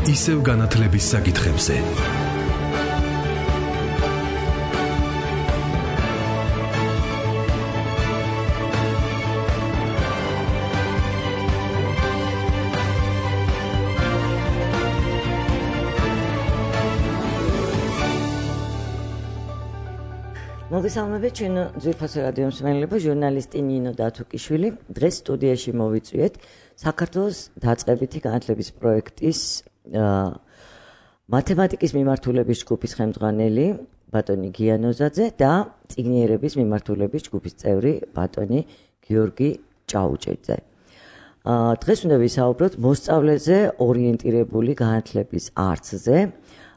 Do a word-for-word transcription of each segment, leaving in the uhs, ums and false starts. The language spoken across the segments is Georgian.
ისევ განათლების საკითხებზე. მოგესალმებით ჩვენ ძვირფასი რადიო მსმენელებო, ჟურნალისტი ნინო დათუკიშვილი. დღეს სტუდიაში მოვიწვიეთ საქართველოს დაწყებითი განათლების პროექტის მათემატიკის მიმართულების ჯგუფის ხელმძღვანელი ბატონი გიანოზაძე და წიგნიერების მიმართულების ჯგუფის წევრი ბატონი გიორგი ჭაუჭეძე. დღეს უნდა ვისაუბროთ მოსწავლეზე ორიენტირებული განათლების არცზე,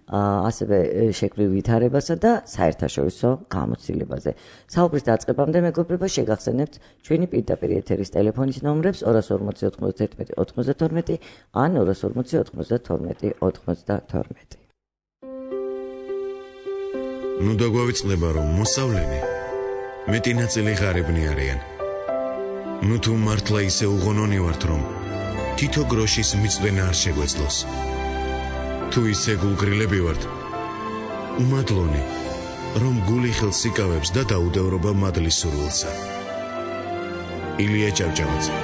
ასევე შექმნილ ვითარებასა და საერთაშორისო გამოცდილებაზე. საუბრის დაწყებამდე მეგობრებო, შეგახსენებთ ჩვენი პირდაპირ ეთერის ტელეფონის ნომრებს ორას ორმოცი ოთხმოცდაერთმეტი ოთხმოცდათორმეტი ან ორას ორმოცი ოთხმოცდათორმეტი ოთხმოცდათორმეტი. ნუ დაგვავიწყდება, რომ მოსავლენი მეტი ნაწილი ღარიბნი არიან. ნუ თუ მართლა ისე უღონონი ვართ, რომ თითო გროშის მიწვენა არ შეგვეძლოს. თუ ისე გულგრილები ვართ, უმადლონი, რომ გული ხელს იკავებს და დაუდევრობა მადლის სურვილსა. ილია ჭავჭავაძე.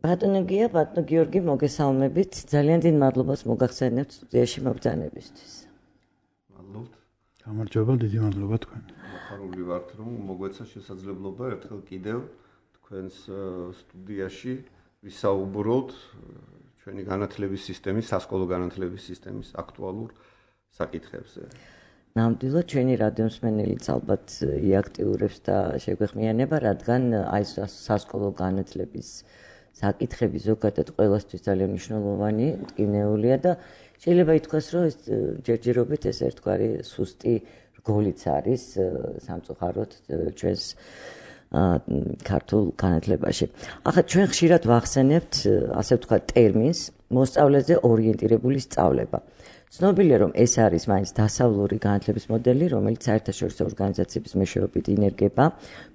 ბატონო გია, ბატონო გიორგი, მოგესალმებით. ძალიან დიდ მადლობას მოგახსენებთ სტუდიაში მობრძანებისთვის. მადლობთ. გამარჯობა, დიდი მადლობა თქვენ. ხარული ვართ, რომ მოგვეცა შესაძლებლობა ერთხელ კიდევ თქვენს სტუდიაში ვისაუბროთ ჩვენი განათლების სისტემის, სასკოლო განათლების სისტემის აქტუალურ საკითხებზე. ნამდვილად ჩვენი რადიო მსმენელიც ალბათ იაქტიურებს და შეგვეხმიანება, რადგან აი სასკოლო განათლების საკითხები ზოგადად ყველასთვის ძალიან მნიშვნელოვანი, მტკივნეულია და შეიძლება ითქვას, რომ ეს ჯერჯერობით ეს ერთგვარი სუსტი რგოლიც არის სამწუხაროდ ჩვენს ქართულ განათლებაში. ახლა ჩვენ ხშირად ვახსენებთ, ასე ვთქვათ, ტერმინს მოსწავლეზე ორიენტირებული სწავლება. ცნობილია, რომ ეს არის მაინც დასავლური განათლების მოდელი, რომელიც საერთაშორისო ორგანიზაციების მეშვეობით ინერგება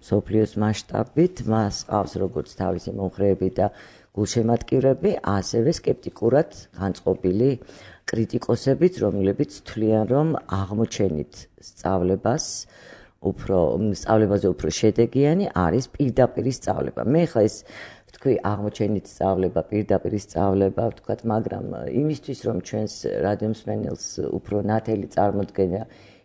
მსოფლიოს მასშტაბით, მას ყავს როგორც თავისი მომხრეები და გულშემატკივრები, ასევე სკეპტიკურად განწყობილი კრიტიკოსებიც, რომლებიც თვლიან, რომ აღმოჩენით სწავლებას უფრო სწავლებაზე უფრო შედეგიანი არის პირდაპირი სწავლება. მე ხა ეს ვთქვი აღმოჩენით სწავლება, პირდაპირი სწავლება, ვთქვათ, მაგრამ იმისთვის, რომ ჩვენს რადიო მსმენელს უფრო ნათელი წარმოდგენა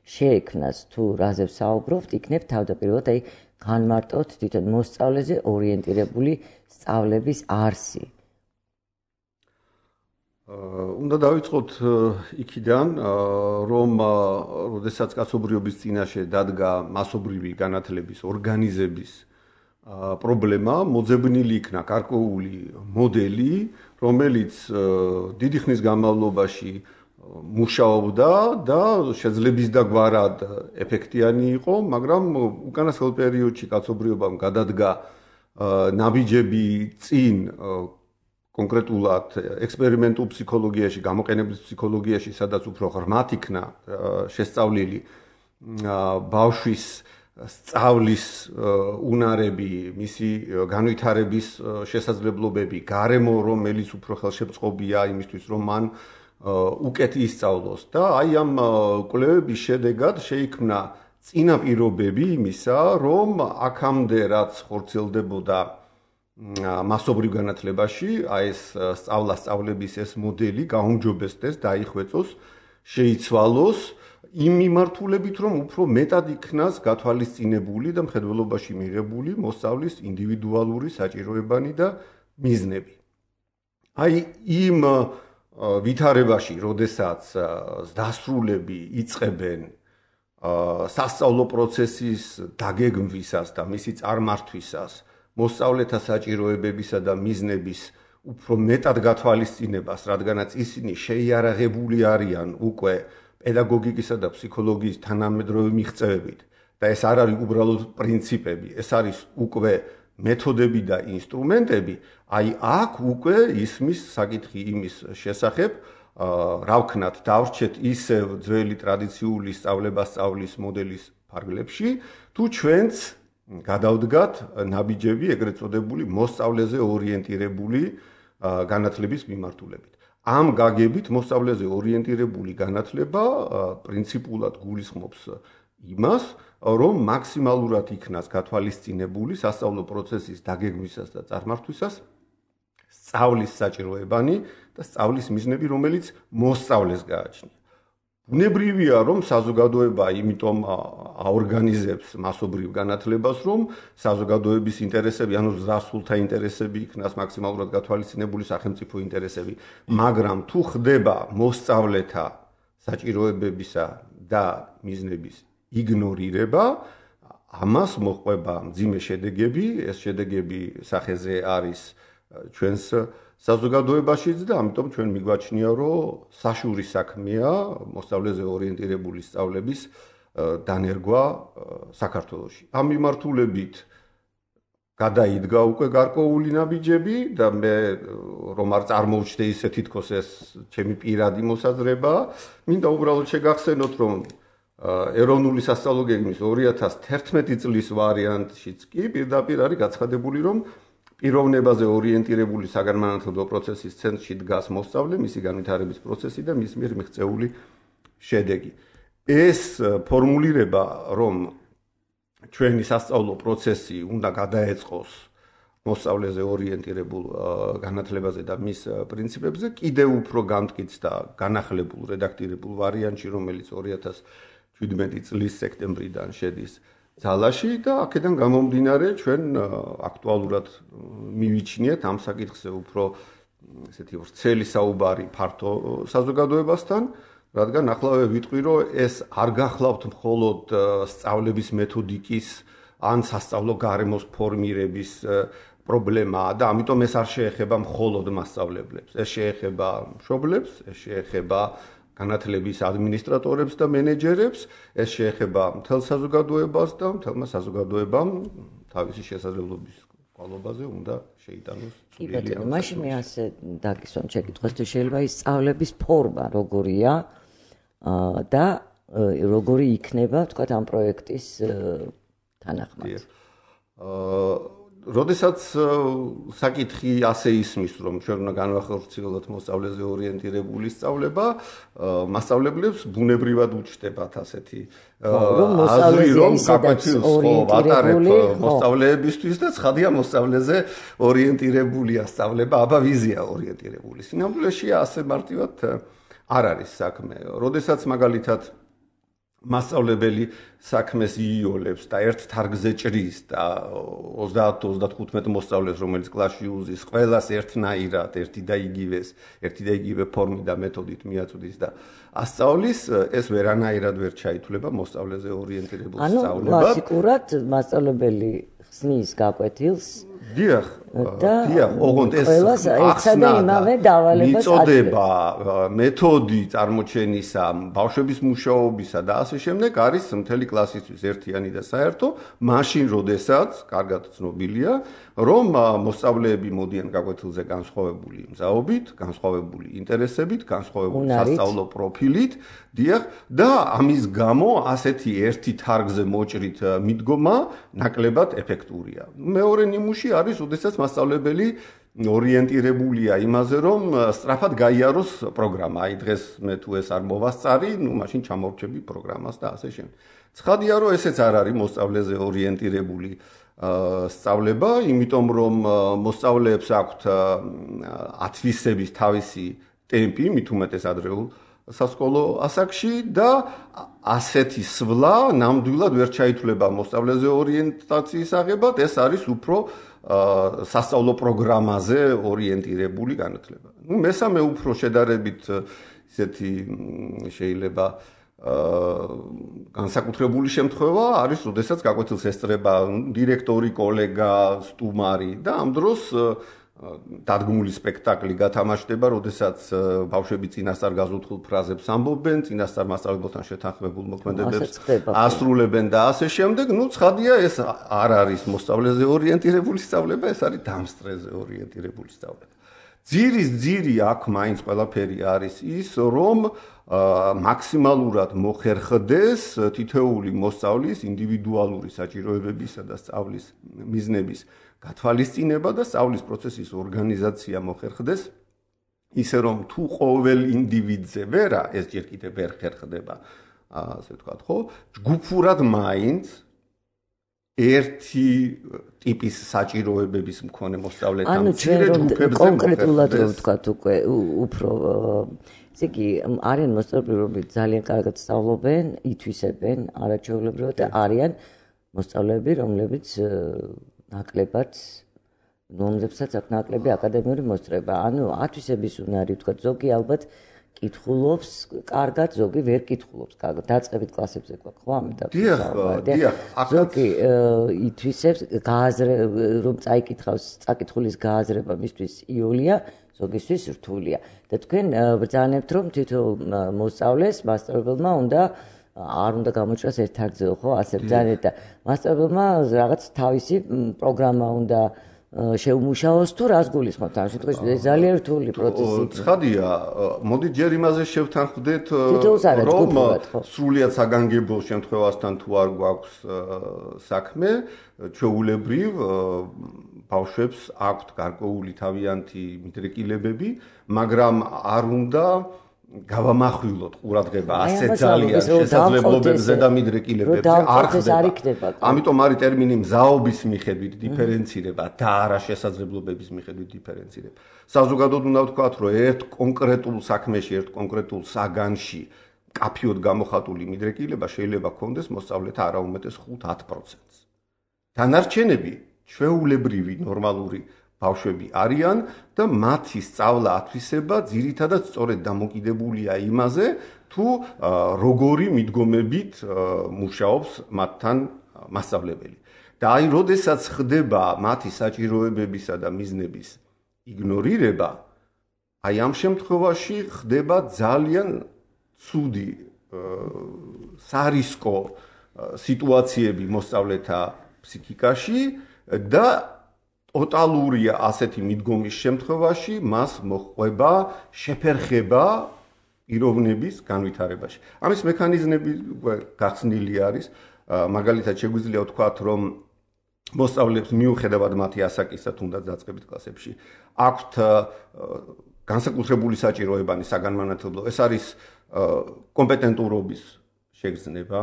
შეექმნას თუ რაზე ვსაუბრობთ, იქნებ თავდაპირველად აი განმარტოთ თვითონ მოსწავლეზე ორიენტირებული სწავლების არსი. უნდა დავიწყოთ იქიდან, რომ როდესაც კაცობრიობის წინაშე დადგა მასობრივი განათლების ორგანიზების პრობლემა, მოძებნილი იქნა გარკვეული მოდელი, რომელიც დიდი ხნის განმავლობაში მუშაობდა და შეძლების და გვარად ეფექტიანი იყო, მაგრამ უკანასკნელ პერიოდში კაცობრიობამ გადადგა ნაბიჯები წინ კონკრეტულად ექსპერიმენტულ ფსიქოლოგიაში, გამოყენებითი ფსიქოლოგიაში, სადაც უფრო ღრმად იქნა შესწავლილი ბავშვის სწავლის უნარები, მისი განვითარების შესაძლებლობები, გარემო, რომელიც უფრო ხელშემწყობია იმისთვის, რომ მან უკეთ ისწავლოს და აი ამ კვლევების შედეგად შეიქმნა წინაპირობები იმისა, რომ აქამდე რაც ხორციელდებოდა მასობრივ განათლებაში, აი ეს სწავლა-სწავლების ეს მოდელი გაუმჯობესდეს, დაიხვეწოს, შეიცვალოს იმ მიმართულებით, რომ უფრო მეტად იქნას გათვალისწინებული და მხედველობაში მიღებული მოსწავლის ინდივიდუალური საჭიროებანი და მიზნები. აი იმ ვითარებაში, როდესაც დასრულები იწყებენ სასწავლო პროცესის დაგეგმვისას და მისი წარმართვისას, მოსწავლეთა საჭიროებებისა და მიზნების უფრო მეტად გათვალისწინებას, რადგანაც ისინი შეიარაღებული არიან უკვე პედაგოგიკისა და ფსიქოლოგიის თანამედროვე მიღწევებით და ეს არ არის უბრალოდ პრინციპები, ეს არის უკვე მეთოდები და ინსტრუმენტები, აი აქ უკვე ისმის საკითხი იმის შესახებ, რა ვქნათ, დავრჩეთ ისევ ძველი ტრადიციული სწავლება-სწავლის მოდელის ფარგლებში, თუ ჩვენც გადავდგათ ნაბიჯები ეგრეთ წოდებული მოსწავლეზე ორიენტირებული განათლების მიმართულებით. ამ გაგებით მოსწავლეზე ორიენტირებული განათლება პრინციპულად გულისხმობს იმას, რომ მაქსიმალურად იქნას გათვალისწინებული სასწავლო პროცესის დაგეგმვისას და წარმართვისას სწავლის საჭიროებანი და სწავლის მიზნები, რომელიც მოსწავლეს გააჩნია. ბუნებრივია, რომ საზოგადოება იმიტომ აორგანიზებს მასობრივ განათლებას, რომ საზოგადოების ინტერესები, ანუ ზრდასრულთა ინტერესები იქნას მაქსიმალურად გათვალისწინებული სახელმწიფო ინტერესები, მაგრამ თუ ხდება მოსწავლეთა საჭიროებებისა და მიზნების იგნორირება, ამას მოჰყვება მძიმე შედეგები, ეს შედეგები სახეზე არის ჩვენს საზოგადოებაშიც და ამიტომ ჩვენ მიგვაჩნია, რომ საშური საქმეა მოსწავლეზე ორიენტირებული სწავლების დანერგვა საქართველოში. ამ მიმართულებით გადაიდგა უკვე გარკვეული ნაბიჯები და მე რომ არ წარმოვჩნდე ისე თითქოს ეს ჩემი პირადი მოსაზრება, მინდა უბრალოდ შეგახსენოთ, რომ ეროვნული სასწავლო გეგმის ორი ათას თერთმეტი წლის ვარიანტშიც კი პირდაპირ არის გაცხადებული, რომ პიროვნებაზე ორიენტირებული საგანმანათლებლო პროცესის ცენტრში დგას მოსწავლე, მისი განვითარების პროცესი და მის მიერ მიღწეული შედეგი. ეს ფორმულირება, რომ ჩვენი სასწავლო პროცესი უნდა გადაეწყოს მოსწავლეზე ორიენტირებულ განათლებაზე და მის პრინციპებზე, კიდევ უფრო გამტკიცდა განახლებულ რედაქტირებულ ვარიანტში, რომელიც ორი ათას შვიდმეტი წლის სექტემბრიდან შედის ძალაში და აქედან გამომდინარე ჩვენ აქტუალურად მივიჩნიეთ ამ საკითხზე უფრო ესეთი ვრცელი საუბარი ფართო საზოგადოებასთან, რადგან ახლავე ვიტყვი, რომ ეს არ გახლავთ მხოლოდ სწავლების მეთოდიკის ან სასწავლო გარემოს ფორმირების პრობლემაა და ამიტომ ეს არ შეეხება მხოლოდ მასწავლებლებს. ეს შეეხება მშობლებს, ეს შეეხება განათლების ადმინისტრატორებს და მენეჯერებს, ეს შეეხება მთელ საზოგადოებას და მთელმა საზოგადოებამ თავისი შესაძლებლობის კვალობაზე უნდა შეიტანოს კი ბატონო, მაშინ მე ასე დაგისვამ შეკითხვას, თუ შეიძლება ის სწავლების ფორმა როგორია და როგორი იქნება, თქვათ, ამ პროექტის თანახმად. როდესაც საკითხი ასე ისმის, რომ ჩვენ უნდა განვახორციელოთ მოსწავლეზე ორიენტირებული სწავლება, მასწავლებლებს ბუნებრივად უჩნდებათ ასეთი აზრი, რომ გაკვეთილს ვატარებ მოსწავლეებისთვის და ცხადია მოსწავლეზე ორიენტირებულია სწავლება, აბა ვიზია ორიენტირებული. სინამდვილეში ასე მარტივად არ არის საქმე. როდესაც მაგალითად მასწავლებელი საქმეს იოლებს და ერთ თარგზე ჭრის და ოცდაათ ოცდათხუთმეტ მოსწავლეს, რომელიც კლასში უზის, ყველას ერთნაირად, ერთი და იგივეს, ერთი და იგივე ფორმით და მეთოდით მიაწვდის და ასწავლის, ეს ვერანაირად ვერ ჩაითვლება მოსწავლეზე ორიენტირებულ სწავლებად. ანუ კლასიკურად მასწავლებელი ხსნის გაკვეთილს დიახ, დიახ, ოღონდ ეს ახსნა იმავე დავალებას მიწოდება, მეთოდი წარმოჩენისა, ბავშვების მუშაობისა და ასე შემდეგ არის მთელი კლასისთვის ერთიანი და საერთო, მაშინ როდესაც კარგად ცნობილია, რომ მოსწავლეები მოდიან გაკვეთილზე განსხვავებული მზაობით, განსხვავებული ინტერესებით, განსხვავებული სასწავლო პროფილით, დიახ, და ამის გამო ასეთი ერთი თარგზე მოჭრით მიდგომა ნაკლებად ეფექტურია. მეორე ნიმუში არის, როდესაც მასწავლებელი ორიენტირებულია იმაზე, რომ სწრაფად გაიაროს პროგრამა. აი დღეს მე თუ ეს არ მოვასწარი, ნუ მაშინ ჩამორჩები პროგრამას და ასე შემდეგ. ცხადია, რომ ესეც არ არის მოსწავლეზე ორიენტირებული სწავლება, იმიტომ რომ მოსწავლეებს აქვთ ათვისების თავისი ტემპი, მით უმეტეს ადრეულ სასკოლო ასაკში და ასეთი სვლა ნამდვილად ვერ ჩაითვლება მოსწავლეზე ორიენტაციის აღებად, ეს არის უფრო სასწავლო პროგრამაზე ორიენტირებული განათლება. ნუ მესამე უფრო შედარებით ისეთი შეიძლება განსაკუთრებული შემთხვევა არის, როდესაც გაკვეთილს ესწრება დირექტორი, კოლეგა, სტუმარი და ამ დროს დადგმული სპექტაკლი გათამაშდება, როდესაც ბავშვები წინასწარ გაზუთხულ ფრაზებს ამბობენ, წინასწარ მასწავლებელთან შეთანხმებულ მოქმედებებს ასრულებენ და ასე შემდეგ. ნუ ცხადია, ეს არ არის მოსწავლეზე ორიენტირებული სწავლება, ეს არის დამსწრეზე ორიენტირებული სწავლება. ძირის ძირი აქ მაინც ყველაფერი არის ის, რომ მაქსიმალურად მოხერხდეს თითოეული მოსწავლის ინდივიდუალური საჭიროებებისა და სწავლის მიზნების გათვალისწინება და სწავლის პროცესის ორგანიზაცია მოხერხდეს ისე რომ თუ ყოველ ინდივიდზე ვერა ეს ჯერ კიდევ ვერ ხერხდება ასე ვთქვათ ხო ჯგუფურად მაინც ერთი ტიპის საჭიროებების მქონე მოსწავლეთა მცირე ჯგუფებზე კონკრეტულად რომ ვთქვათ უკვე უფრო ესე იგი არიან მოსწავლეები რომლებიც ძალიან კარგად სწავლობენ ითვისებენ არაჩვეულებრივად და არიან მოსწავლეები რომლებიც ნაკლებად რომლებსაც აქვს ნაკლები აკადემიური მოსწრება ანუ ათვისების უნარი ვთქვათ ზოგი ალბათ კითხულობს კარგად ზოგი ვერ კითხულობს კარგად დაწყებით კლასებზე გვაქვს ხო ამიტომ დიახ დიახ ზოგი ითვისებს გააზრე რომ წაიკითხავს წაკითხulis გააზრება მისთვის იოლია ზოგისთვის რთულია და თქვენ ბრძანებთ რომ თითოეულ მოსწავლეს მასწავლებელმა უნდა არ უნდა გამოჭრას ერთ თარგზეო ხო ასე ბრძანეთ და მასწავლებელმა რაღაც თავისი პროგრამა უნდა შეუმუშაოს თუ რას გულისხმობთ ამ შემთხვევაში ეს ძალიან რთული პროცესია. ცხადია, მოდი ჯერ იმაზე შევთანხმდეთ რომ სრულიად საგანგებო შემთხვევასთან თუ არ გვაქვს საქმე, ჩვეულებრივ ბავშვებს აქვთ გარკვეული თავიანთი მიდრეკილებები, მაგრამ არ უნდა გავამახვილოთ ყურადღება ასე ძალიან შესაძლებლობებზე და მიდრეკილებებზე არ ხდება. ამიტომ არის ტერმინი მზაობის მიხედვით დიფერენცირება და არა შესაძლებლობების მიხედვით დიფერენცირება. საზოგადოდ უნდა ვთქვათ, რომ ერთ კონკრეტულ საქმეში, ერთ კონკრეტულ საგანში კაფიოდ გამოხატული მიდრეკილება შეიძლება ქონდეს მოსწავლეთა არაუმეტეს ხუთ-ათ პროცენტს. დანარჩენები ჩვეულებრივი ნორმალური ბავშვები არიან და მათი სწავლა ათვისება ძირითადად სწორედ დამოკიდებულია იმაზე, თუ როგორი მიდგომებით მუშაობს მათთან მასწავლებელი. და აი, როდესაც ხდება მათი საჭიროებებისა და მიზნების იგნორირება, აი ამ შემთხვევაში ხდება ძალიან ცუდი სარისკო სიტუაციები მოსწავლეთა ფსიქიკაში და ტოტალურია ასეთი მიდგომის შემთხვევაში მას მოჰყვება შეფერხება პიროვნების განვითარებაში. ამის მექანიზმები გახსნილი არის, მაგალითად შეგვიძლია ვთქვათ, რომ მოსწავლეებს მიუხედავად მათი ასაკისა თუნდაც დაწყებით კლასებში აქვთ განსაკუთრებული საჭიროებანი საგანმანათლებლო, ეს არის კომპეტენტურობის შეგრძნება,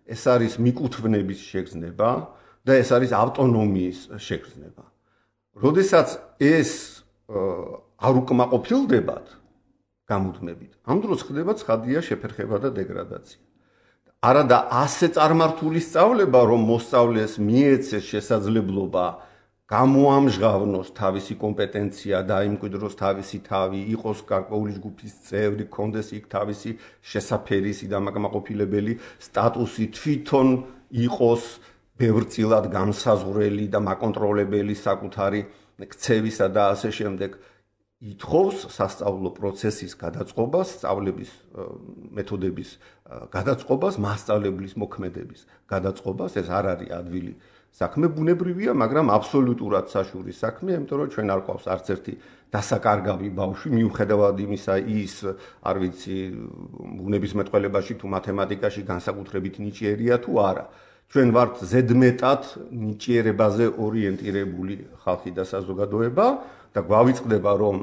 ეს არის მიკუთვნების შეგრძნება და ეს არის ავტონომიის შეგრძნება. როდესაც ეს არ უკმაყოფილდებათ გამუდმებით, ამ დროს ხდება ცხადია შეფერხება და დეგრადაცია. არადა ასე წარმართული სწავლება, რომ მოსწავლეს მიეცეს შესაძლებლობა გამოამჟღავნოს თავისი კომპეტენცია, დაიმკვიდროს თავისი თავი, იყოს გარკვეული ჯგუფის წევრი, კონდეს იქ თავისი შესაფერისი და მაკმაყოფილებელი სტატუსი, თვითონ იყოს ბევრწილად გამსაზღვრელი და მაკონტროლებელი საკუთარი ქცევისა და ასე შემდეგ ითხოვს სასწავლო პროცესის გადაწყობას, სწავლების მეთოდების გადაწყობას, მასწავლებლის მოქმედების გადაწყობას, ეს არ არის ადვილი საქმე, ბუნებრივია, მაგრამ აბსოლუტურად საშურის საქმე, იმიტომ რომ ჩვენ არ ყავს არც ერთი დასაკარგავი ბავშვი, მიუხედავად იმისა, ის არ ვიცი, ბუნებისმეტყველებაში თუ მათემატიკაში განსაკუთრებით ნიჭიერია თუ არა. ჩვენ ვართ ზედმეტად ნიჭიერებაზე ორიენტირებული ხალხი და საზოგადოება და გვავიწყდება, რომ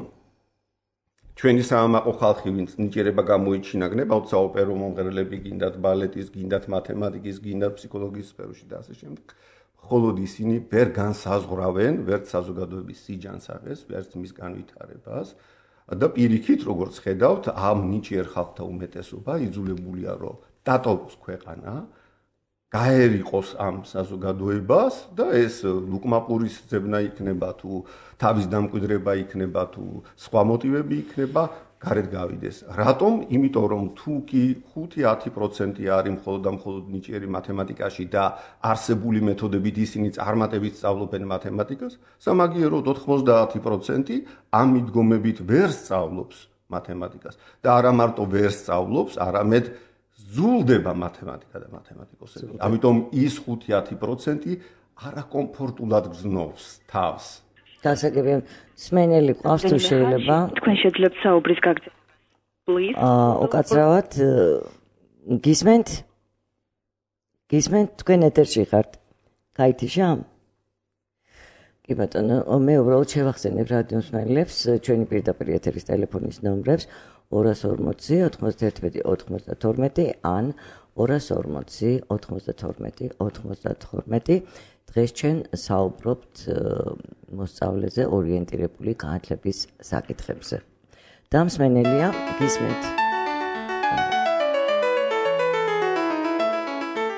ჩვენი საამაყო ხალხი, ვინც ნიჭიერება გამოიჩინა, გნებავთ საოპერო მომღერლები, გინდათ ბალეტის, გინდათ მათემატიკის, გინდათ ფსიქოლოგიის სფეროში და ასე შემდეგ. მხოლოდ ისინი ვერ განსაზღვრავენ ვერც საზოგადოების სიჯანსაღეს, ვერც მის განვითარებას და პირიქით, როგორც ხედავთ, ამ ნიჭიერ ხალხთა უმეტესობა იძულებულია, რომ დატოვოს ქვეყანა, გაერიყოს ამ საზოგადოებას და ეს ლუკმაპურის ძებნა იქნება თუ თავის დამკვიდრება იქნება თუ სხვა მოტივები იქნება გარეთ გავიდეს. რატომ? იმიტომ რომ თუ კი ხუთი-ათი პროცენტი არის მხოლოდ და მხოლოდ ნიჭიერი მათემატიკაში და არსებული მეთოდებით ისინი წარმატებით სწავლობენ მათემატიკას, სამაგიეროდ ოთხმოცდაათი პროცენტი ამ მიდგომებით ვერ სწავლობს მათემატიკას და არა მარტო ვერ სწავლობს, არამედ ზულდება მათემატიკა და მათემატიკოსები. ამიტომ ის ხუთი-ათი პროცენტი არაკომფორტულად გრძნობს თავს. დასაგებია სმენელი ყავს თუ შეიძლება თქვენ შეძლებთ საუბრის გაგრძელება. აა უკაცრავად გისმენთ? გისმენთ თქვენ ეთერში ხართ? გაითიშა? კი ბატონო, მე უბრალოდ შევახსენებ რადიო მსმენელებს ჩვენი პირდაპირ ეთერის ტელეფონის ნომრებს ორას ორმოცი ოთხმოცდაერთმეტი ოცდათორმეტი ან ორას ორმოცი ოთხმოცდათორმეტი ოცდათორმეტი. დღეს ჩვენ საუბრობთ მოსწავლეზე ორიენტირებული განათლების საკითხებზე. და მსმენელია გისმენთ.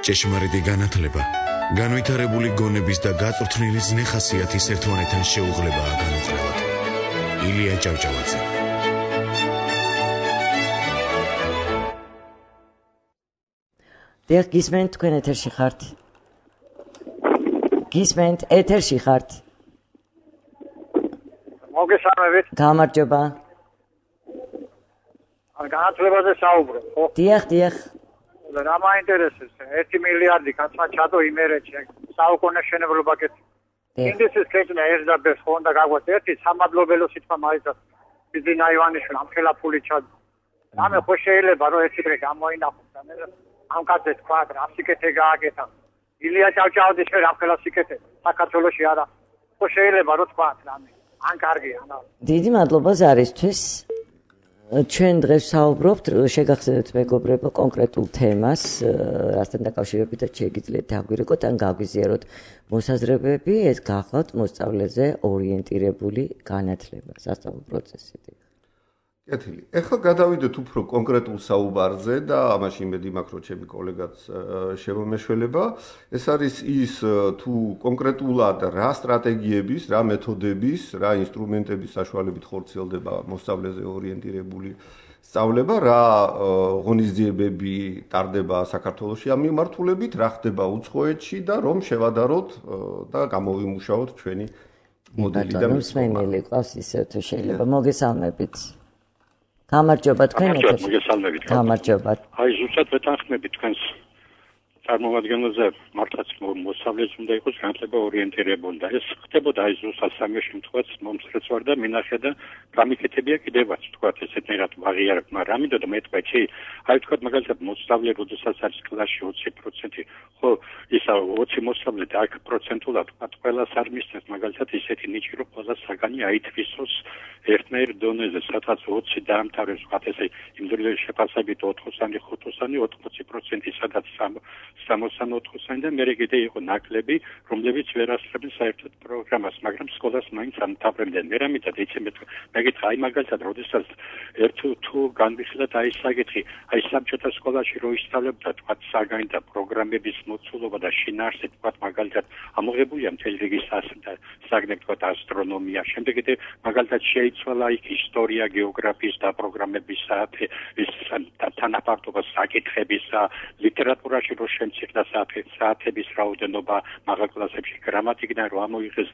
ჭეშმარიტი განათლება განვითარებული გონების და გაწვრთნილი ზნე-ხასიათის ერთმანეთთან შეუღლებაა განუყრევად. ილია ჭავჭავაძე. დიახ, გისმენთ, თქვენ ეთერში ხართ? გისმენთ, ეთერში ხართ? მოგესალმებით. გამარჯობა. განათლებაზე საუბრობ, ხო? დიახ, დიახ. რა მაინტერესებს? ერთი მილიარდი კაცმა ჩადო იმერეთში, საუკუნეშენებლობა კეთ. ინდუსტრიის კეთნა ერთდა ბეს ხო უნდა გაგვას ერთი სამადლობელო სიტყვა მაიცას. ბიზნა ივანიშვილი ამხელა ფული ჩადო. რამე ხო შეიძლება რომ ერთი დღე გამოინახოს და მე ამ კაცებს თქვა რა სიკეთე გააკეთა. ილია ჭავჭავაძე შე რამხელა სიკეთე საქართველოში არა. ხო შეიძლება რომ თქვა რამე. ან კარგია, ანუ. დიდი მადლობა ზარისთვის. ჩვენ დღეს საუბრობთ, შეგახსენებთ მეგობრებო კონკრეტულ თემას, რასთან დაკავშირებითაც შეგიძლიათ დაგვირეკოთ ან გაგვიზიაროთ მოსაზრებები, ეს გახლავთ მოსწავლეზე ორიენტირებული განათლება, სასწავლო პროცესი. კეთილი. ეხლა გადავიდეთ უფრო კონკრეტულ საუბარზე და ამაში იმედი მაქვს, რომ ჩემი კოლეგაც შემომეშველება. ეს არის ის თუ კონკრეტულად რა სტრატეგიების, რა მეთოდების, რა ინსტრუმენტების საშუალებით ხორციელდება მოსწავლეზე ორიენტირებული სწავლება, რა ღონისძიებები ტარდება საქართველოში ამ მიმართულებით, რა ხდება უცხოეთში და რომ შევადაროთ და გამოვიმუშაოთ ჩვენი მოდელი და მსმენელი ყავს ისე თუ შეიძლება. მოგესალმებით. გამარჯობა თქვენ ეთერში. მოგესალმებით. გამარჯობა. აი ზუსტად ვეთანხმები თქვენს წარმომადგენელზე, მართლაც მოსწავლეს უნდა იყოს განათლება ორიენტირებული და ეს ხდებოდა აი ზუსტად სამი შემთხვევაც მომსწრეც ვარ და მინახე და გამიკეთებია კიდევაც თქვა ესეთნაირად ვაღიარებ, მაგრამ ამიტომ მე თქვა ჩი აი თქვა მაგალითად მოსწავლე როდესაც არის კლასში ოცი პროცენტი ხო ისა ოცი მოსწავლე და აქ პროცენტულად თქვა ყველას არ მისცემს მაგალითად ისეთი ნიჭი რომ ყველა საგანი აითვისოს ერთნაირ დონეზე სადღაც ოცი დაამთავრებს თქვა ესე იმდროინდელი შეფასებით ოთხოსანი ხუთოსანი ოცდაოთხი პროცენტი სადაც სამოცდაოთხ პროცენტი და მე კიდე იყო ნაკლები რომლებიც ვერ ასწრებენ საერთოდ პროგრამას მაგრამ სკოლას მაინც ამთავრებდნენ მე რამითად ეცემეთ მეკითხა აი მაგალითად როდესაც ერთ თუ განვიხილოთ აი საკითხი აი საბჭოთა სკოლაში რო ისწავლებდა თქვა საგანი და პროგრამების მოცულობა და შინაარსი თქვა მაგალითად ამოღებულია მთელი რიგი საგნები თქვა ასტრონომია შემდეგ კიდე მაგალითად შეიცვალა იქ ისტორია გეოგრაფიის და პროგრამების საათი ის თანაფარდობა საკითხების ლიტერატურაში რო შემცირდა საათების რაოდენობა მაღალ კლასებში გრამატიკიდან რო ამოიღეს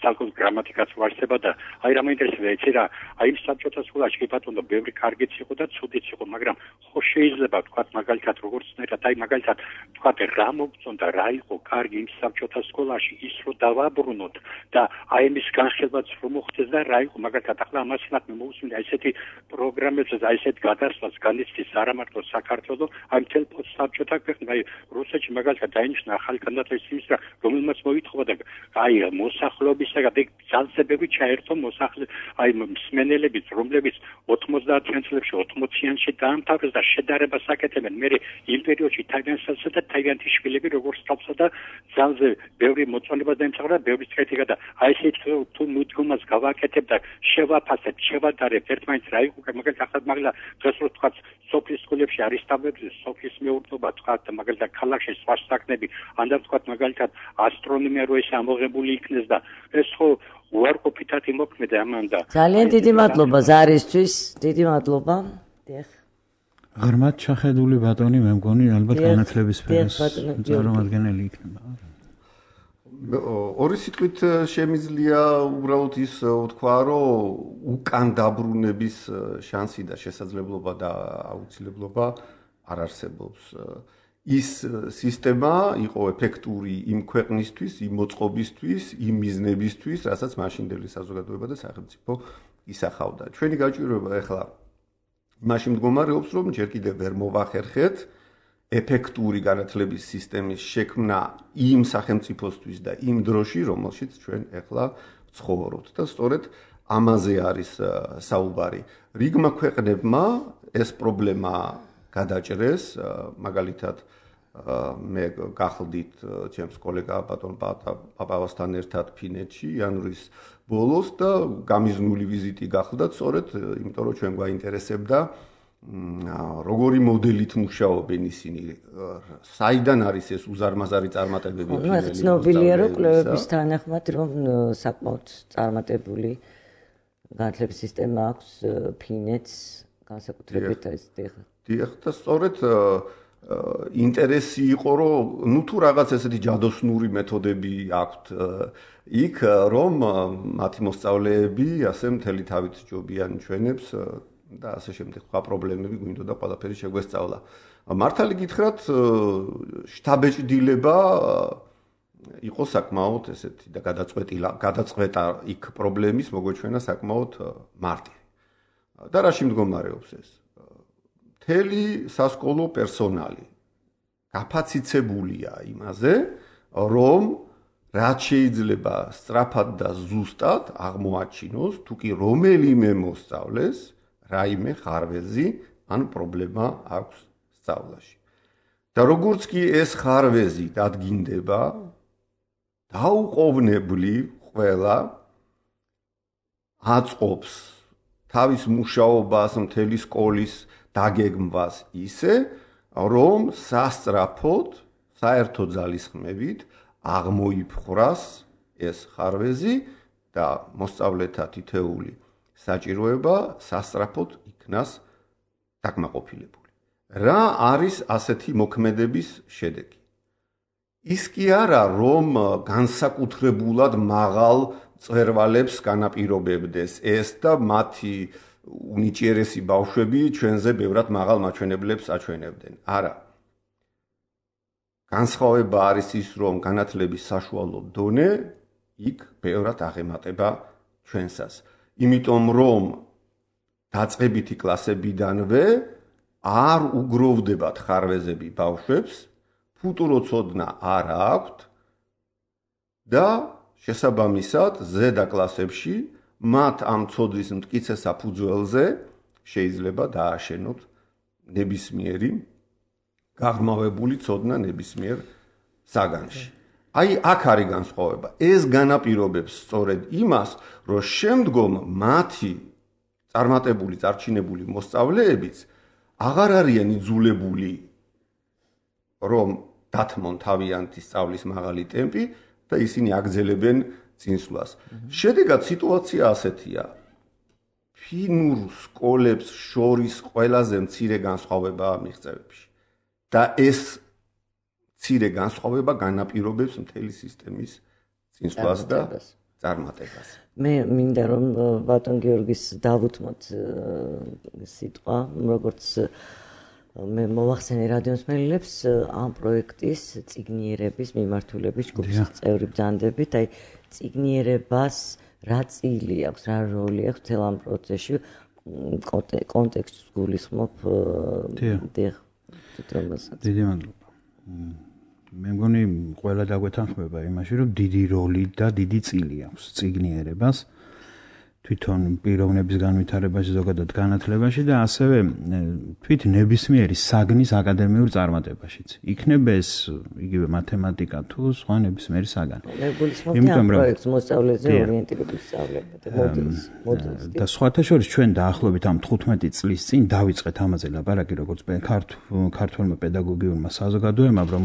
საკუთარ გრამატიკაც ვარსება და აი რა მაინტერესებდა იცი რა აი იმ საბჭოთა სკოლაში კი ბატონო ბევრი კარგიც იყო და ცუდიც იყო მაგრამ ხო შეიძლება თქვა მაგალითად როგორცნაირად აი მაგალითად თქვა რა მოგწონდა რა იყო კარგი იმ საბჭოთა სკოლაში ის რო დავაბრუნოთ და აი იმის განხილვაც რომ მოხდეს და რა იყო მაგალითად ახლა ამასინათ მე მოусმინე აი ესეთი პროგრამებსაც აი ესეთ გადასვლას განიცდის არა მარტო საქართველოს აი მთელ საბჭოთა ქვეყნ აი რუსეთში მაგალითად დაინიშნა ახალი განათლების მინისტრა რომელმაც მოითხოვა და აი მოსახლეობისაგან ძალზე ბევრი ჩაერთო მოსახლე აი მსმენელების რომლებიც ოცდაათიან წლებში ოცდაათიანში დაამთავრეს და შედარებას აკეთებენ მე იმ პერიოდში თავიანსა და თავიანთი შვილები როგორც თავსა და ძალზე ბევრი მოწონება დაემსახურა ბევრი წრეთი გადა აი ესეთ თუ მუდმივად გავაკეთებ და შევაფასებ შევადარებ ერთმანეთს რა იყო მაგალითად ახლა მაგალითად დღეს რო თქვა სოფლის სკოლებში არის სტაბლებზე სოფლის მეურნეობა თქვა მაგალითად ქალაქში სხვა საქმეები ან და თქვა მაგალითად ასტრონომია რო ეს ამოღებული იქნეს და ეს ხო უარყოფითად იმოქმედა ამან და ძალიან დიდი მადლობა ზარისთვის დიდი მადლობა დიახ ღრმად ჩახედული ბატონი მე მგონი ალბათ განათლების სფეროს წარმომადგენელი იქნება ორი სიტყვით შემიძლია უბრალოდ ის ვთქვა რომ უკან დაბრუნების შანსი და შესაძლებლობა და აუცილებლობა არ არსებობს ის სისტემა იყო ეფექტური იმ ქვეყნისთვის, იმ მოწყობისთვის, იმ მიზნებისთვის, რასაც მაშინდელი საზოგადოება და სახელმწიფო ისახავდა. ჩვენი გაჭირვება ახლა იმაში მდგომარეობს, რომ ჯერ კიდევ ვერ მოვახერხეთ ეფექტური განათლების სისტემის შექმნა იმ სახელმწიფოსთვის და იმ დროში, რომელშიც ჩვენ ახლა ვცხოვრობთ და სწორედ ამაზე არის საუბარი. რიგმა ქვეყნებმა ეს პრობლემა გადაჭრეს, მაგალითად მე გახლდით ჩემს კოლეგა ბატონ პაპავასთან ერთად ფინეთში იანვრის ბოლოს და გამიზნული ვიზიტი გახლდათ სწორედ იმიტომ რომ ჩვენ გვაინტერესებდა როგორი მოდელით მუშაობენ ისინი, საიდან არის ეს უზარმაზარი წარმატებები ფინეთის. ცნობილია რომ კვლევების თანახმად რომ საკმაოდ წარმატებული განათლების სისტემა აქვს ფინეთს განსაკუთრებით ეს დიღ. დიღ და სწორედ ინტერესი იყო რომ ნუ თუ რაღაც ესეთი ჯადოსნური მეთოდები აქვთ იქ რომ მათი მოსწავლეები ასე მთელი თავით ჯობიან ჩვენებს და ასე შემდეგ სხვა პრობლემები გვინდოდა ყველაფერი შეგვესწავლა. მართალი გითხრათ შთაბეჭდილება იყო საკმაოდ ესეთი და გადაწყვეტილა გადაწყვეტა იქ პრობლემის მოგოჩვენა საკმაოდ მარტივი. და რაში მდგომარეობს ეს? მთელი სასკოლო პერსონალი გაფაციცებულია იმაზე, რომ რაც შეიძლება სწრაფად და ზუსტად აღმოაჩინოს, თუ კი რომელიმე მოსწავლეს რაიმე ხარვეზი ან პრობლემა აქვს სწავლაში. და როგორც კი ეს ხარვეზი დადგინდება, დაუყოვნებლივ ყველა აწყობს თავის მუშაობას მთელი სკოლის დაგეგმვას ისე, რომ სასწრაფოდ, საერთო ძალისხმევით აღმოიფხვრას ეს ხარვეზი და მოსწავლეთა თითეული საჭიროება სასწრაფოდ იქნას დაკმაყოფილებული. რა არის ასეთი მოქმედების შედეგი? ის კი არა, რომ განსაკუთრებულად მაღალ მწვერვალებს განაპირობებდეს ეს და მათი უნიჭიერესი ბავშვები ჩვენზე ბევრად მაღალ მაჩვენებლებს აჩვენებდნენ. არა. განსხვავება არის ის, რომ განათლების საშუალო დონე იქ ბევრად აღემატება ჩვენსას. იმიტომ რომ დაწყებითი კლასებიდანვე არ უგროვდებათ ხარვეზები ბავშვებს, ფუტურო ცოდნა არ აქვთ და შესაბამისად ზედა კლასებში მათ ამ ცოდნის მტკიცე საფუძველზე შეიძლება დააშენოთ ნებისმიერი გაღრმავებული ცოდნა ნებისმიერ საგანში. აი აქ არის განსხვავება. ეს განაპირობებს სწორედ იმას, რომ შემდგომ მათი წარმატებული, წარჩინებული მოსწავლეებიც აღარ არიან იძულებული რომ დათმონ თავიანთი სწავლის მაღალი ტემპი და ისინი აგრძელებენ წინსვლას. შედეგად სიტუაცია ასეთია. ფინურ სკოლებს შორის ყველაზე მცირე განსხვავებაა მიღწევებში. და ეს მცირე განსხვავება განაპირობებს მთელი სისტემის წინსვლას და წარმატებას. მე მინდა რომ ბატონ გიორგის დავუთმოთ სიტყვა, როგორც მე მოვახსენე რადიოსმენელებს ამ პროექტის წიგნიერების მიმართულების ჯგუფის წევრი ბრძანდებით, აი წიგნიერებას რა წილი აქვს, რა როლი აქვს მთელ ამ პროცესში, კონტექსტს გულისხმობ დიახ თვითონასაც. დიდი მადლობა. მე მგონი ყველა დაგვეთანხმება იმაში, რომ დიდი როლი და დიდი წილი აქვს წიგნიერებას თვითონ პიროვნების განვითარებაში, ზოგადად განათლებაში და ასევე თვით ნებისმიერი საგნის აკადემიურ წარმატებაშიც. იქნება ეს იგივე მათემატიკა თუ სხვა ნებისმიერი საგანი. იმიტომ რომ პროექტს მოსწავლეზე ორიენტირებული სწავლება და მოდელს, მოდელს. და სხვათა შორის ჩვენ დაახლოებით ამ თხუთმეტი წლის წინ დავიწყეთ ამაზე ლაპარაკი, როგორც ქართველმა პედაგოგიურმა საზოგადოებამ, რომ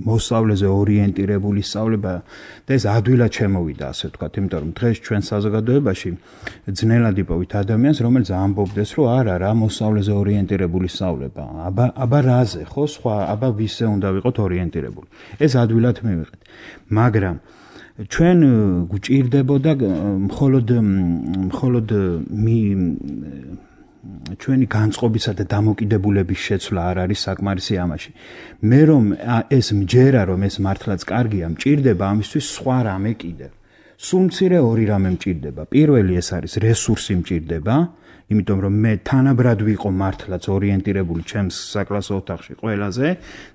მოსწავლეზე ორიენტირებული სწავლება და ეს ადვილად შემოვიდა, ასე ვთქვათ, იმიტომ რომ დღეს ჩვენ საზოგადოებაში ძნელად იპოვით ადამიანს, რომელიც ამბობდეს, რომ არა, რა მოსწავლეზე ორიენტირებული სწავლება. აბა, აბა რაზე, ხო, სხვა, აბა ვისზე უნდა ვიყოთ ორიენტირებული. ეს ადვილად მივიღეთ. მაგრამ ჩვენ გვჭირდებოდა მხოლოდ მხოლოდ ჩვენი განწყობისა და დამოკიდებულების შეცვლა არ არის საკმარისი ამაში. მე რომ ეს მჯერა, რომ ეს მართლაც კარგია, მჭირდება ამისთვის სხვა რამე კიდევ. სულ მცირე ორი რამე მჭირდება. პირველი ეს არის რესურსი მჭირდება, იმიტომ რომ მე თანაბრად ვიყო მართლაც ორიენტირებული ჩემს საკლასო ოთახში ყველაზე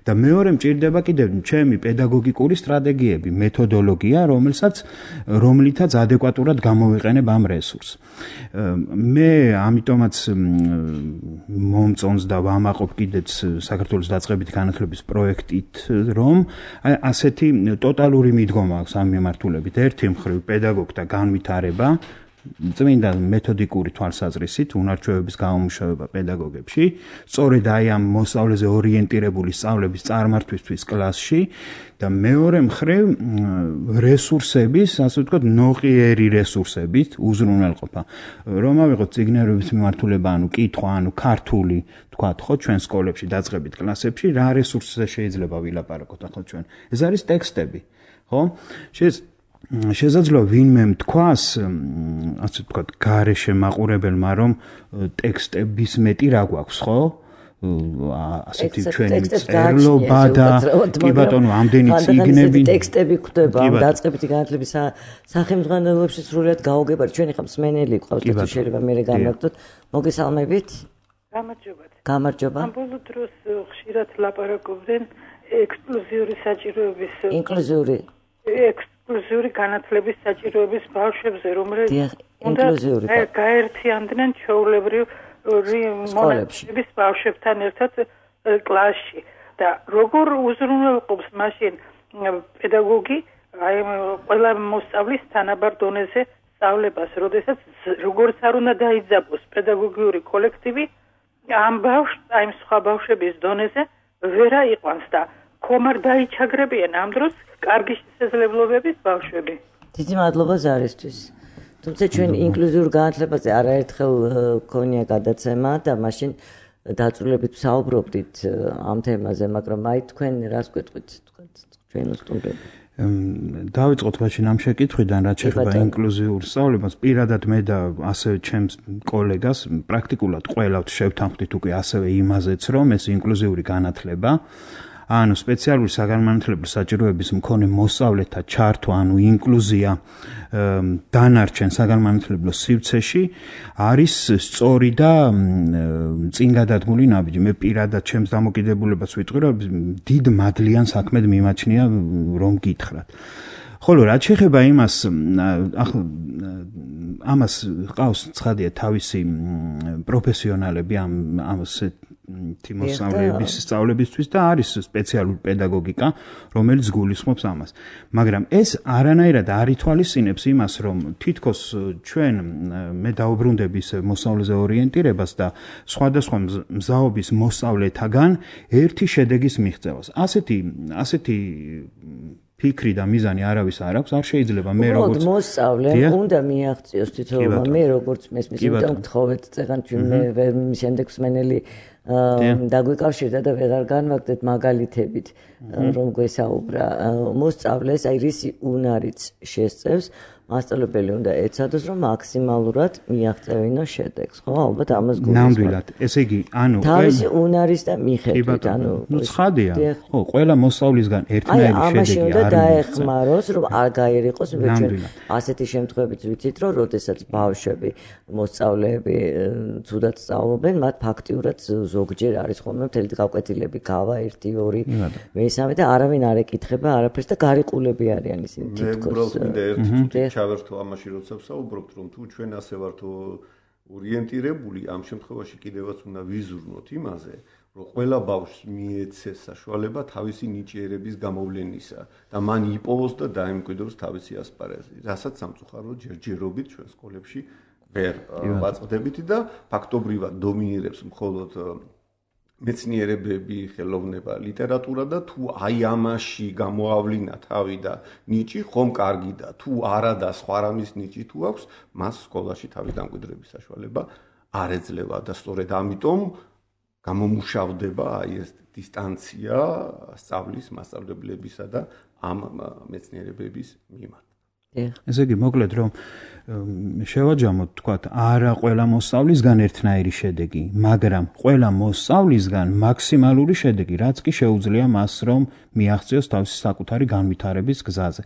და მეორე მჭირდება კიდევ ჩემი პედაგოგიკური სტრატეგიები, მეთოდოლოგია, რომელსაც რომლითაც ადეკვატურად გამოვიყენებ ამ რესურსს. მე ამიტომაც მომწონს და ვამაყობ კიდეც საქართველოს დაწყებითი განათლების პროექტით, რომ ასეთი ტოტალური მიდგომა აქვს ამ მიმართულებით. ერთი მხრივ პედაგოგთა განვითარება, წმინდა მეთოდიკური თვალსაზრისით, უნარჩვევების გამომუშავება პედაგოგებში, სწორედ აი ამ მოსწავლეზე ორიენტირებული სწავლების წარმართვისთვის კლასში და მეორე მხრივ რესურსების, ასე ვთქვათ, ნოყიერი რესურსებით უზრუნველყოფა. რომ ავიღოთ წიგნერების მიმართულება, ანუ კითხვა, ანუ ქართული, ვთქვათ, ხო, ჩვენ სკოლებში, დაწყებით კლასებში, რა რესურსზე შეიძლება ვილაპარაკოთ ახლა ჩვენ? ეს არის ტექსტები, ხო? შეიძლება შესაძლოა ვინმე თქვას, ასე ვთქვათ, გარეშე მაყურებელმა, რომ ტექსტების მეტი რა გვაქვს, ხო? ასეთი ჩვენი წერლობა და კი ბატონო, ამდენი წიგნები, ტექსტები გვხვდება ამ დაწყებითი განათლების სახელმძღვანელოებში სრულად გაუგებარი. ჩვენი ხა მსმენელი გვყავს და თუ შეიძლება მე განვაგდოთ. მოგესალმებით. გამარჯობათ. გამარჯობა. ამ ბოლო დროს ხშირად ლაპარაკობდნენ ექსკლუზიური საჭიროების ინკლუზიური ინკლუზიური განათლების საჭიროების ბავშვებზე, რომლებიც უნდა გაერთიანდნენ ჩვეულებრივ მონაცემების ბავშვებთან ერთად კლასში და როგორ უზრუნველყოფს მაშინ პედაგოგი აი ყველა მოსწავლის თანაბარ დონეზე სწავლებას, როდესაც როგორც არ უნდა დაიძაბოს პედაგოგიური კოლექტივი ამ ბავშვს აი სხვა ბავშვების დონეზე ვერ აიყვანს და ხომ არ დაიჩაგრებიან ამ დროს კარგი შესაძლებლობების ბავშვები. დიდი მადლობა ზარისთვის. თუმცა ჩვენ ინკლუზიურ განათლებაზე არაერთხელ გქონია გადაცემა და მაშინ დაწვრილებით ვსაუბრობდით ამ თემაზე, მაგრამ აი თქვენ რას გვეტყვით, თქვენ ჩვენ სტუმრები. დავიწყოთ მაშინ ამ შეკითხვიდან, რაც შეეხება ინკლუზიურ სწავლებას. პირადად მე და ასევე ჩემს კოლეგას პრაქტიკულად ყველავთ შევთანხმდით უკვე ასევე იმაზეც, რომ ეს ინკლუზიური განათლება ანუ სპეციალური საგანმანათლებლო საჭიროების მქონე მოსწავლეთა ჩართვა, ანუ ინკლუზია დანარჩენ საგანმანათლებლო სივრცეში არის სწორი და წინ გადადგმული ნაბიჯი. მე პირადად ჩემს დამოკიდებულებას ვიტყვი, რომ დიდ მადლიან საქმედ მიმაჩნია, რომ გითხრათ. ხოლო რაც შეეხება იმას, ახლა ამას ყავს ცხადია თავისი პროფესიონალები ამ ამას თიმოსავლების სწავლებისთვის და არის სპეციალური პედაგოგიკა, რომელიც გულისხმობს ამას. მაგრამ ეს არანაირად არ ითვალისწინებს იმას, რომ თითქოს ჩვენ მე დაუბრუნდები ისე მოსწავლეზე ორიენტირებას და სხვადასხვა მზაობის მოსწავლეთაგან ერთი შედეგის მიღწევას. ასეთი ასეთი ფიქრი და მიზანი არავის არ აქვს, არ შეიძლება მე როგორც მოსწავლე უნდა მიაღწიოს თითოეულმა, მე როგორც მესმის, იმიტომ გთხოვეთ წეგან ჩვენ მე შემდეგ მსმენელი დაგვიკავშირდა და ვეღარ განვაგდეთ მაგალითებით, რომ გვესაუბრა. მოსწავლეს აი რისი უნარიც შესწევს, მასწავლებელი უნდა ეცადოს, რომ მაქსიმალურად მიაღწევინოს შედეგს, ხო? ალბათ ამას გულისხმობ. ნამდვილად. ესე იგი, ანუ თავისი უნარის და მიხედვით, ანუ ნუ ცხადია. ხო, ყველა მოსწავლისგან ერთნაირი შედეგი არ არის. აი, ამაში უნდა დაეხმაროს, რომ არ გაერიყოს, იმიტომ ჩვენ ასეთი შემთხვევებიც ვიცით, რომ როდესაც ბავშვები, მოსწავლეები ცუდად სწავლობენ, მათ ფაქტიურად ზოგჯერ არის ხოლმე მთელი გაკვეთილები, გავა ერთი, ორი, მესამე და არავინ არ ეკითხება არაფერს და გარიყულები არიან ისინი თითქოს. ჩავერთო ამაში, როცა ვსაუბრობთ, რომ თუ ჩვენ ასე ვართ ორიენტირებული, ამ შემთხვევაში კიდევაც უნდა ვიზრუნოთ იმაზე, რომ ყველა ბავშვს მიეცეს საშუალება თავისი ნიჭიერების გამოვლენისა და მან იპოვოს და დაემკვიდროს თავისი ასპარეზი, რასაც სამწუხაროდ ჯერჯერობით ჩვენ სკოლებში ვერ ვაწყდებით და ფაქტობრივად დომინირებს მხოლოდ მეცნიერებები, ხელოვნება, ლიტერატურა და თუ აი ამაში გამოავლინა თავი და ნიჭი, ხომ კარგი და თუ არა და სხვა რამის ნიჭი თუ აქვს, მას სკოლაში თავის დამკვიდრების საშუალება არ ეძლევა და სწორედ ამიტომ გამომუშავდება აი ეს დისტანცია სწავლის მასწავლებლებისა და ამ მეცნიერებების მიმართ. ესე იგი, მოკლედ რომ შევაჯამოთ თქვათ არა ყველა მოსწავლისგან ერთნაირი შედეგი, მაგრამ ყველა მოსწავლისგან მაქსიმალური შედეგი, რაც კი შეუძლია მას რომ მიაღწიოს თავისი საკუთარი განვითარების გზაზე.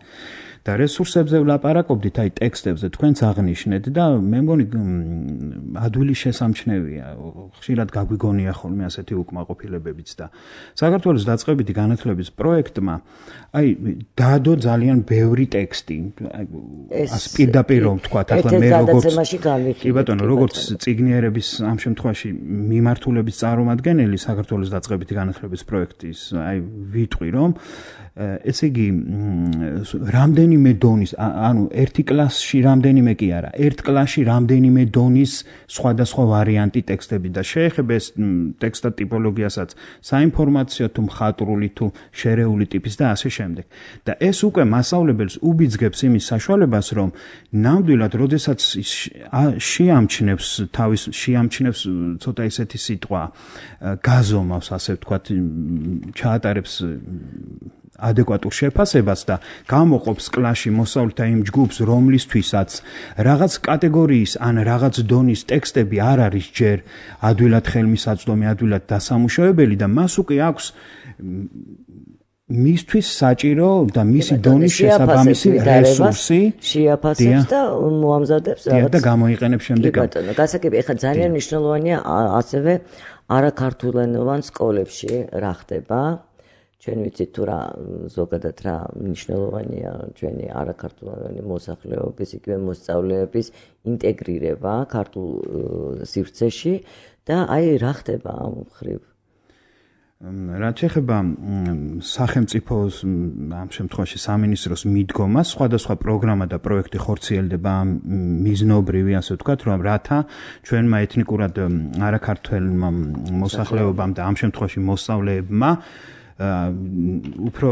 და რესურსებზე ვლაპარაკობდით, აი ტექსტებზე თქვენც აღნიშნეთ და მე მგონი ადვილი შესამჩნევია, ხშირად გაგვიგონია ხოლმე ასეთი უკმაყოფილებებიც და საქართველოს დაწყებითი განათლების პროექტმა აი დადო ძალიან ბევრი ტექსტი. ას პირდაპირ რომ თქვათ, ახლა მე როგორც კი ბატონო, როგორც წიგნიერების ამ შემთხვევაში მიმართულების წარმომადგენელი საქართველოს დაწყებითი განათლების პროექტის, აი ვიტყვი რომ ესე იგი რამდენიმე დონის, ანუ ერთი კლასში რამდენიმე კი არა, ერთ კლასში რამდენიმე დონის სხვადასხვა ვარიანტი ტექსტები და შეეხება ეს ტექსტთა ტიპოლოგიასაც, საინფორმაციო თუ მხატვრული თუ შერეული ტიპის და ასე შემდეგ. და ეს უკვე მასწავლებელს უბიძგებს იმის საშუალებას, რომ ნამდვილად, როდესაც შეამჩნევს თავის შეამჩნევს ცოტა ისეთი სიტყვა, გაზომავს, ასე ვთქვათ, ჩაატარებს ადეკვატურ შეფასებას და გამოყოფს კლასში მოსწავლეთა იმ ჯგუფს, რომლისთვისაც რაღაც კატეგორიის ან რაღაც დონის ტექსტები არ არის ჯერ ადვილად ხელმისაწვდომი, ადვილად დასამუშავებელი და მას უკვე აქვს მისთვის საჭირო და მისი დონის შესაბამისი რესურსი შეაფასებს და მოამზადებს რაღაც და გამოიყენებს შემდეგ. ბატონო, გასაგები, ეხლა ძალიან მნიშვნელოვანია ასევე არაქართულენოვან სკოლებში რა ხდება. ჩვენ ვიცით თუ რა ზოგადად რა მნიშვნელოვანია ჩვენი არაქართულოვანი მოსახლეობის, იგივე მოსწავლეების ინტეგრირება ქართულ სივრცეში და აი რა ხდება ამ მხრივ. რაც ეხება სახელმწიფოს ამ შემთხვევაში სამინისტროს მიდგომას, სხვადასხვა პროგრამა და პროექტი ხორციელდება მიზნობრივი, ასე ვთქვათ, რომ რათა ჩვენმა ეთნიკურად არაქართველმა მოსახლეობამ და ამ შემთხვევაში მოსწავლეებმა უფრო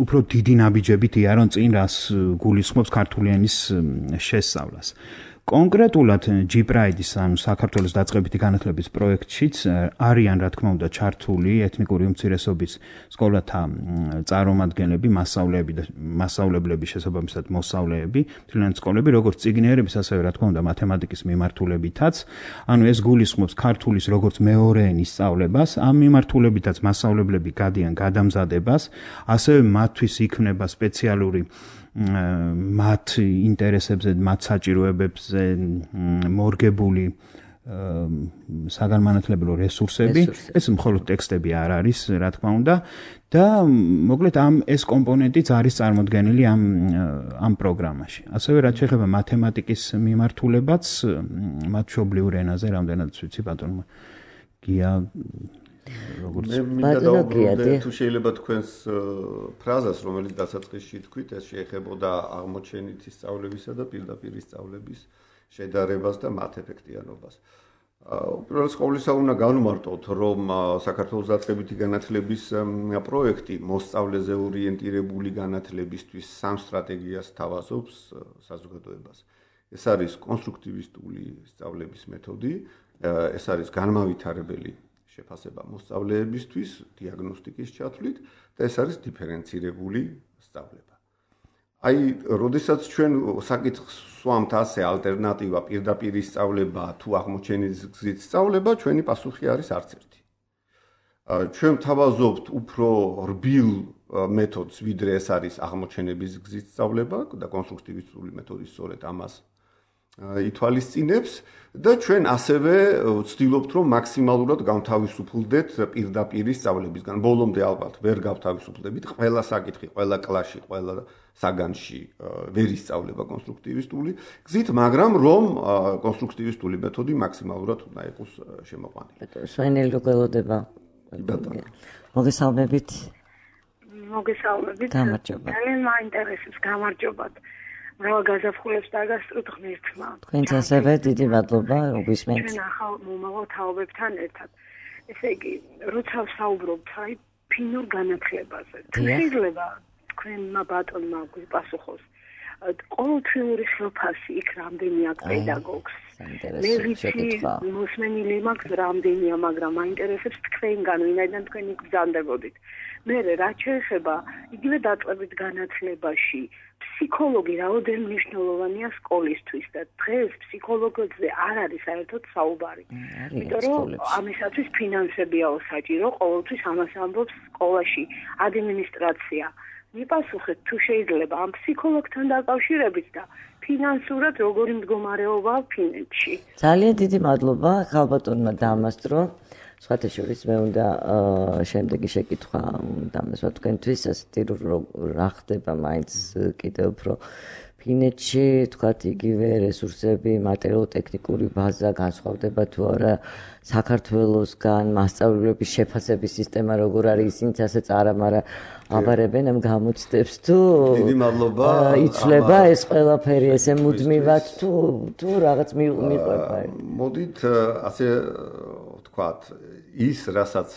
უფრო დიდი ნაბიჯებით იარონ წინ, რას გულისხმობს ქართული ენის შესწავლას. კონკრეტულად G Pride-ის, ანუ საქართველოს დაწყებითი განათლების პროექტშიც არიან, რა თქმა უნდა, ჩართული ეთნიკური უმცირესობის სკოლათა წარმომადგენლები, მასწავლეები და მასწავლებლები, შესაბამისად მოსწავლეები, მთლიანად სკოლები, როგორც წიგნიერების, ასევე რა თქმა უნდა, მათემატიკის მიმართულებითაც. ანუ ეს გულისხმობს ქართულის როგორც მეორე ენის სწავლებას, ამ მიმართულებითაც მასწავლებლები გადიან გადამზადებას, ასევე მათთვის იქმნება სპეციალური მათ ინტერესებზე, მათ საჭიროებებზე მორგებული საგანმანათლებლო რესურსები. ეს მხოლოდ ტექსტები არ არის, რა თქმა უნდა, და მოკლედ ამ ეს კომპონენტიც არის წარმოდგენილი ამ ამ პროგრამაში. ასევე რაც შეეხება მათემატიკის მიმართულებაც, მათ მშობლიურ ენაზე, რამდენადაც ვიცი, ბატონო გია როგორც ბატონო, თუ შეიძლება თქვენს ფრაზას, რომელიც დასაწყისში თქვით, ეს შეეხებოდა აღმოჩენითი სწავლებისა და პირდაპირი სწავლების შედარებას და მათ ეფექტიანობას. უპირველეს ყოვლისა უნდა განვმარტოთ, რომ საქართველოს დაწყებითი განათლების პროექტი მოსწავლეზე ორიენტირებული განათლებისთვის სამ სტრატეგიას თავაზობს საზოგადოებას. ეს არის კონსტრუქტივისტული სწავლების მეთოდი, ეს არის განმავითარებელი შეფასება მოსწავლეებისთვის დიაგნოსტიკის ჩათვლით და ეს არის დიფერენცირებული სწავლება. აი, როდესაც ჩვენ საკითხს სვამთ ასე ალტერნატივა პირდაპირი სწავლება თუ აღმოჩენის გზით სწავლება, ჩვენი პასუხი არის არც ერთი. ჩვენ თავაზობთ უფრო რბილ მეთოდს, ვიდრე ეს არის აღმოჩენების გზით სწავლება და კონსტრუქტივისტული მეთოდი სწორედ ამას ითვალისწინებს და ჩვენ ასევე ვცდილობთ, რომ მაქსიმალურად გავთავისუფლდეთ პირდაპირი სწავლებისგან. ბოლომდე ალბათ ვერ გავთავისუფლდებით, ყველა საკითხი, ყველა კლასში, ყველა საგანში ვერ ისწავლება კონსტრუქტივისტული გზით, მაგრამ რომ კონსტრუქტივისტული მეთოდი მაქსიმალურად უნდა იყოს შემოყვანილი. სვენელი გველოდება. მოგესალმებით. მოგესალმებით. გამარჯობა. ძალიან მაინტერესებს, გამარჯობათ. მრავალ გაზაფხულებს დაგასწროთ ღმერთმა. თქვენც ასევე დიდი მადლობა, გვისმენთ. ჩვენ ახალ მომავალ თაობებთან ერთად. ესე იგი, როცა ვსაუბრობთ აი ფინურ განათლებაზე, თუ შეიძლება თქვენმა ბატონმა გვიპასუხოს, ყოველთვიური ხელფასი იქ რამდენი აქვს პედაგოგს. მე ვიცი მოსმენილი მაქვს რამდენია, მაგრამ მაინტერესებს თქვენგან, ვინაიდან თქვენ იქ ბრძანდებოდით. მე რაც შეეხება იგივე დაწყებით განათლებაში, ფსიქოლოგი რაოდენ მნიშვნელოვანია სკოლისთვის და დღეს ფსიქოლოგებზე არ არის საერთოდ საუბარი. იმიტომ რომ ამისათვის ფინანსებიაო საჭირო, ყოველთვის ამას ამბობს სკოლაში ადმინისტრაცია. მიპასუხეთ თუ შეიძლება ამ ფსიქოლოგთან დაკავშირებით და ფინანსურად როგორი მდგომარეობაა ფინეთში. ძალიან დიდი მადლობა ხალბატონმა დამასტრო. სხვათა შორის მე უნდა შემდეგი შეკითხვა დამასვა თქვენთვის, ასეთი რა ხდება მაინც კიდევ უფრო ფინეთში, თქვათ იგივე რესურსები, მატერიალურ-ტექნიკური ბაზა განსხვავდება თუ არა საქართველოსგან, მასწავლებლების შეფასების სისტემა როგორ არის, ისინიც ასე წარამარა აბარებენ ამ გამოცდებს თუ დიდი მადლობა. იცვლება ეს ყველაფერი ესე მუდმივად თუ თუ რაღაც მიყვება. მოდით ასე ვთქვათ, ის რასაც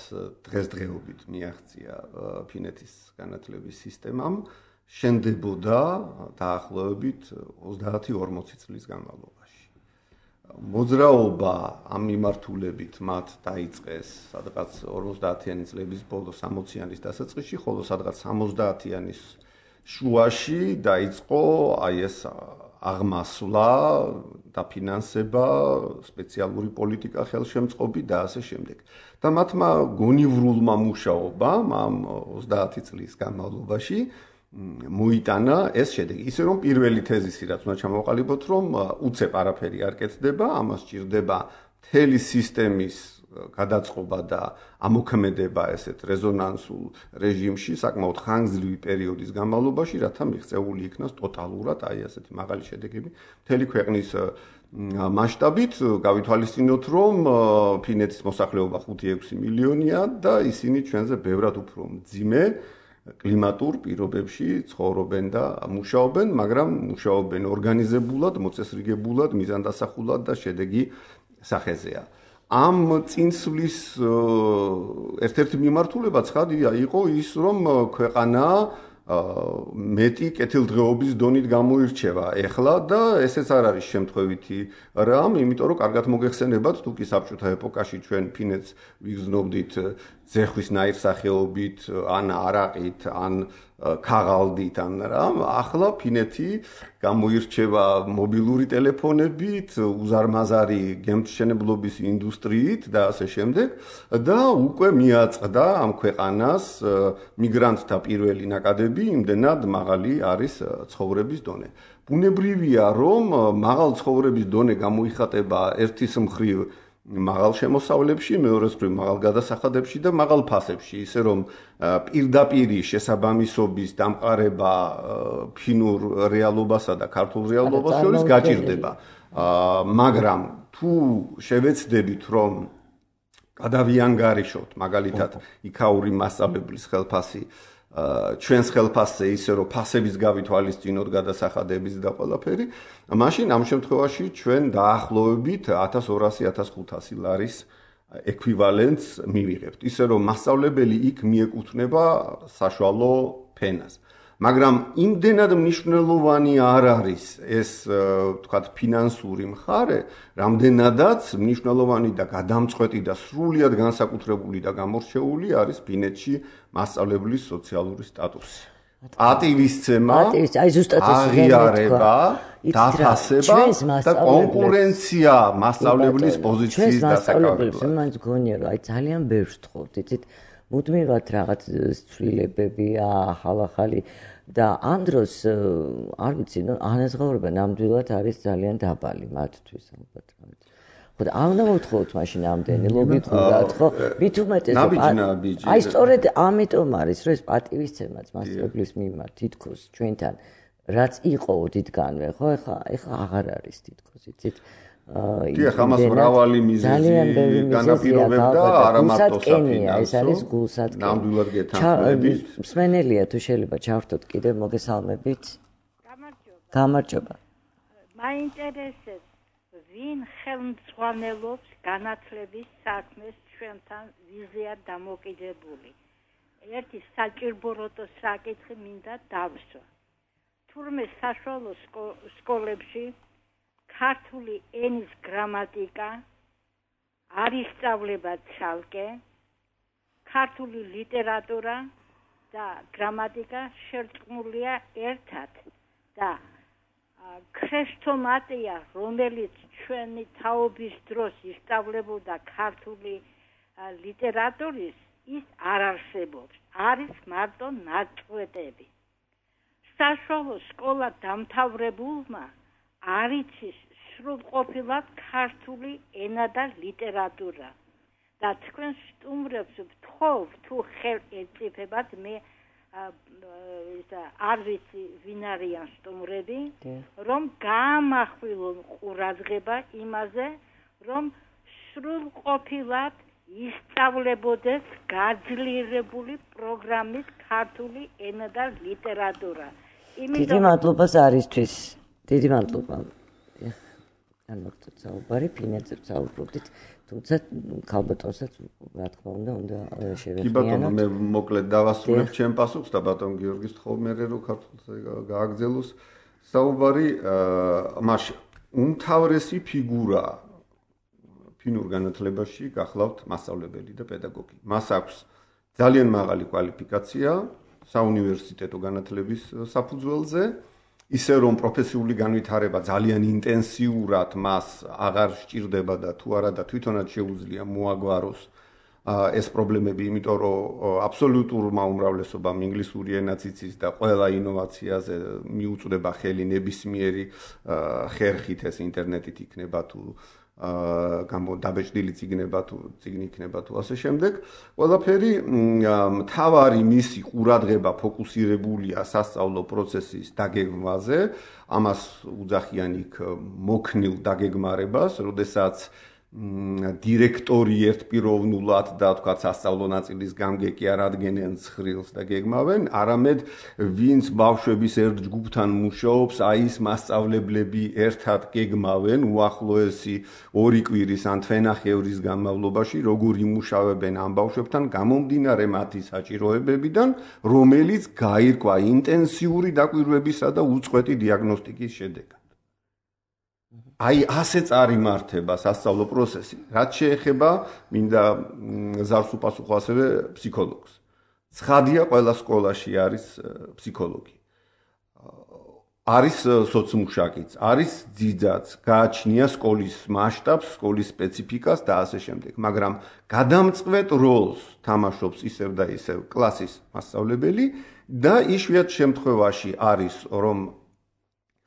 დღესდღეობით მიაღწია ფინეთის განათლების სისტემამ შენდებოდა დაახლოებით ოცდაათი ორმოცი წლის განმავლობაში. მოძრაობა ამ მიმართულებით მათ დაიწყეს სადღაც ორმოცდაათიანი წლების ბოლოს, სამოციანის დასაწყისში, ხოლო სადღაც სამოცდაათიანის შუაში დაიწყო აი ეს აღმასვლა, დაფინანსება, სპეციალური პოლიტიკა, ხელშემწყობი და ასე შემდეგ. და მათმა გონივრულმა მუშაობამ ამ ოცდაათი წლის განმავლობაში მოიტანა ეს შედეგი. ისე რომ პირველი თეზისი რაც უნდა ჩამოვყალიბოთ, რომ უცებ არაფერი არ კეთდება, ამას სჭირდება მთელი სისტემის გადაწყობა და ამოქმედება ესეთ რეზონანსულ რეჟიმში საკმაოდ ხანგრძლივი პერიოდის განმავლობაში, რათა მიღწეული იქნას ტოტალურად აი ასეთი მაღალი შედეგები მთელი ქვეყნის მასშტაბით. გავითვალისწინოთ, რომ ფინეთის მოსახლეობა ხუთი ექვსი მილიონია და ისინი ჩვენზე ბევრად უფრო მძიმე კლიმატურ პირობებში ცხოვრობენ და მუშაობენ, მაგრამ მუშაობენ ორგანიზებულად, მოწესრიგებულად, მიზანდასახულად და შედეგი სახეზეა. ამ წინსვლის ერთ-ერთი მიმართულება ცხადია იყო ის, რომ ქვეყანა მეტი კეთილდღეობის დონით გამოირჩევა ეხლა და ესეც არ არის შემთხვევითი რამ, იმიტომ რომ კარგად მოგეხსენებათ, თუ კი საბჭოთა ეპოქაში ჩვენ ფინეთს ვიგრძნობდით ძეხვის ნაირსახეობით, ან არაყით, ან ქაღალდით, ან რამ, ახლა ფინეთი გამოირჩევა მობილური ტელეფონებით, უზარმაზარი გემთმშენებლობის ინდუსტრიით და ასე შემდეგ და უკვე მიაწყდა ამ ქვეყანას მიგრანტთა პირველი ნაკადები, იმდენად მაღალი არის ცხოვრების დონე. ბუნებრივია, რომ მაღალ ცხოვრების დონე გამოიხატება ერთის მხრივ მაღალ შემოსავლებში, მეორეს მხრივ მაღალ გადასახადებში და მაღალ ფასებში, ისე რომ პირდაპირი შესაბამისობის დამყარება ფინურ რეალობასა და ქართულ რეალობას შორის გაჭირდება. მაგრამ თუ შევეცდებით, რომ გადავიანგარიშოთ მაგალითად იქაური მასწავლებლის ხელფასი ჩვენს ხელფასზე, ისე რომ ფასების გავითვალისწინოთ, გადასახადების და ყველაფერი, მაშინ ამ შემთხვევაში ჩვენ დაახლოებით ათას ორასი ათას ხუთასი ლარის ექვივალენტს მივიღებთ. ისე რომ მასწავლებელი იქ მიეკუთვნება საშუალო ფენას. მაგრამ იმდენად მნიშვნელოვანი არ არის ეს, ვთქვათ, ფინანსური მხარე, რამდენადაც მნიშვნელოვანი და გადამწყვეტი და სრულიად განსაკუთრებული და გამორჩეული არის ფინეთში მასწავლებლის სოციალური სტატუსი. პატივისცემა, აი ზუსტად ეს აღიარება, დაფასება და კონკურენცია მასწავლებლის პოზიციის დასაკავებლად. მაინც გონია, რომ აი ძალიან ბევრს თხოვთ, იცით, მუდმივად რაღაც ცვლილებებია, ახალ-ახალი და ამ დროს არ ვიცი, ნუ ანაზღაურება ნამდვილად არის ძალიან დაბალი მათთვის ალბათ. ხო, არ უნდა მოთხოვოთ მაშინ ამდენი ლოგიკურად, ხო? მით უმეტეს აი სწორედ ამიტომ არის, რომ ეს პატივისცემაც მასწავლებლის მიმართ თითქოს ჩვენთან რაც იყო ოდითგანვე, ხო? ეხლა ეხლა აღარ არის თითქოს, იცით? კი, ახლა მას მრავალი მიზეზი განაპირობებდა, არა მარტო საფინანსო. ეს არის გულსატკენი. ნამდვილად გეთანხმებით. მსმენელია თუ შეიძლება ჩავრთოთ კიდევ მოგესალმებით. გამარჯობა. გამარჯობა. მაინტერესებს ვინ ხელმძღვანელობს განათლების საქმეს ჩვენთან ვიზია დამოკიდებული. ერთი საჭიროებო საკითხი მინდა დავსვა. თურმე საშუალო სკოლებში ქართული ენის გრამატიკა არ ისწავლება ცალკე, ქართული ლიტერატურა და გრამატიკა შერწყმულია ერთად და ქრესტომატია, რომელიც ჩვენი თაობის დროს ისწავლებოდა ქართული ლიტერატურის, ის არ არსებობს. არის მარტო ნაწყვეტები. საშუალო სკოლა დამთავრებულმა არ იცის სრულყოფილად ქართული ენა და ლიტერატურა. და თქვენ სტუმრებს ვთხოვ, თუ ხელ ეწიფებათ, მე არ ვიცი ვინ არიან სტუმრები, რომ გაამახვილონ ყურადღება იმაზე, რომ სრულყოფილად ისწავლებოდეს გაძლიერებული პროგრამის ქართული ენა და ლიტერატურა. დიდი მადლობა ზარისთვის. დიდი მადლობა. ან მოხდეთ საუბარი, ფინანსებს საუბრობდით, თუმცა ქალბატონსაც რა თქმა უნდა, უნდა შევეხმიანოთ. კი ბატონო, მე მოკლედ დავასრულებ ჩემ პასუხს და ბატონ გიორგის თხოვმერე რო ქართულზე გააგრძელოს საუბარი, მაშინ უმთავრესი ფიგურა ფინურ განათლებაში გახლავთ მასწავლებელი და პედაგოგი. მას აქვს ძალიან მაღალი კვალიფიკაცია საუნივერსიტეტო განათლების საფუძველზე, ისე რომ პროფესიული განვითარება ძალიან ინტენსიურად მას აღარ სჭირდება და თუ არა და თვითონაც შეუძლია მოაგვაროს ეს პრობლემები, იმიტომ რომ აბსოლუტურმა უმრავლესობამ ინგლისური ენაც იცის და ყველა ინოვაციაზე მიუწვდება ხელი ნებისმიერი ხერხით, ეს ინტერნეტით იქნება თუ გამოდაბეჭდილი წიგნება თუ წიგნი იქნება თუ ასე შემდეგ. ყველაფერი მთავარი მისი ყურადღება ფოკუსირებულია სასწავლო პროცესის დაგეგმვაზე, ამას უძახიან იქ მოქნილ დაგეგმარებას, როდესაც დირექტორი ერთპიროვნულად და თქვა სასწავლო ნაწილის გამგე კი არ ადგენენ ცხრილს და გეგმავენ, არამედ ვინც ბავშვების ერთ ჯგუფთან მუშაობს, აი ის მასწავლებლები ერთად გეგმავენ უახლოესი ორი კვირის ან თვენახევრის განმავლობაში, როგორ იმუშავებენ ამ ბავშვებთან გამომდინარე მათი საჭიროებებიდან, რომელიც გაირკვა ინტენსიური დაკვირვებისა და უწყვეტი დიაგნოსტიკის შედეგად. აი ასე წარიმართება სასწავლო პროცესი, რაც შეეხება მინდა ზარს უპასუხო ასევე ფსიქოლოგს. ცხადია, ყველა სკოლაში არის ფსიქოლოგი. არის სოცმუშაკიც, არის ძიძაც, გააჩნია სკოლის მასშტაბს, სკოლის სპეციფიკას და ასე შემდეგ, მაგრამ გადამწყვეტ როლს თამაშობს ისევ და ისევ კლასის მასწავლებელი და იშვიათ შემთხვევაში არის რომ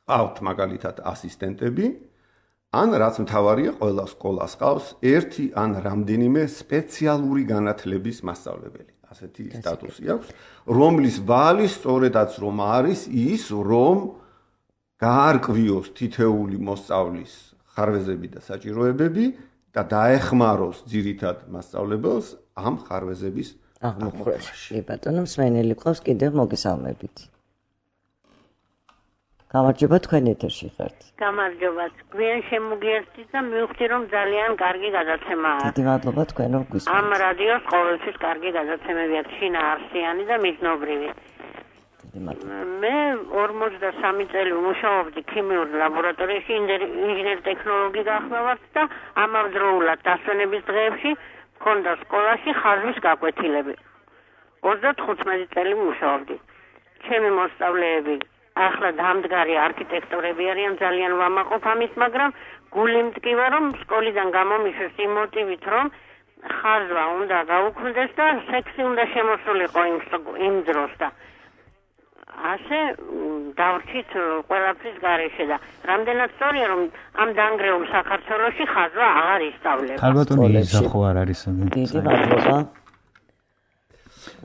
ყავთ მაგალითად ასისტენტები, ან რაც მთავარია, ყველა სკოლას ყავს ერთი ან რამდენიმე სპეციალური განათლების მასწავლებელი. ასეთი სტატუსი აქვს, რომლის ვალი სწორედაც რომ არის ის, რომ გაარკვიოს თითეული მოსწავლის ხარვეზები და საჭიროებები და დაეხმაროს ძირითად მასწავლებელს ამ ხარვეზების აღმოფხვრაში. ბატონო მსმენელი ყავს კიდევ მოგესალმებით. გამარჯობა, თქვენ ეთერში ხართ. გამარჯობა. გვიან შემოგიერთით და მივხვდი რომ ძალიან კარგი გადაცემაა. დიდი მადლობა თქვენ რომ გვისმენთ. ამ რადიოს ყოველთვის კარგი გადაცემები აქვს, შინაარსიანი და მიზნობრივი. მე ორმოცდასამი წელი ვმუშაობდი ქიმიურ ლაბორატორიაში, ინჟინერ ტექნოლოგი გახმევართ და ამავდროულად დასვენების დღეებში მქონდა სკოლაში ხაზვის გაკვეთილები. ოცდათხუთმეტი წელი ვმუშაობდი. ჩემი მოსწავლეები ახლა დამდგარი არქიტექტორები არიან, ძალიან ვამაყობ ამის, მაგრამ გული მტკივა რომ სკოლიდან გამომიშვეს იმ მოტივით, რომ ხაზვა უნდა გაუქმდეს და სექსი უნდა შემოსულიყო იმ დროს და ასე დავრჩით ყველაფრის გარეშე და რამდენად სწორია რომ ამ დანგრეულ საქართველოში ხაზვა აღარ ისწავლება. ქალბატონი იზახო არ არის. დიდი მადლობა.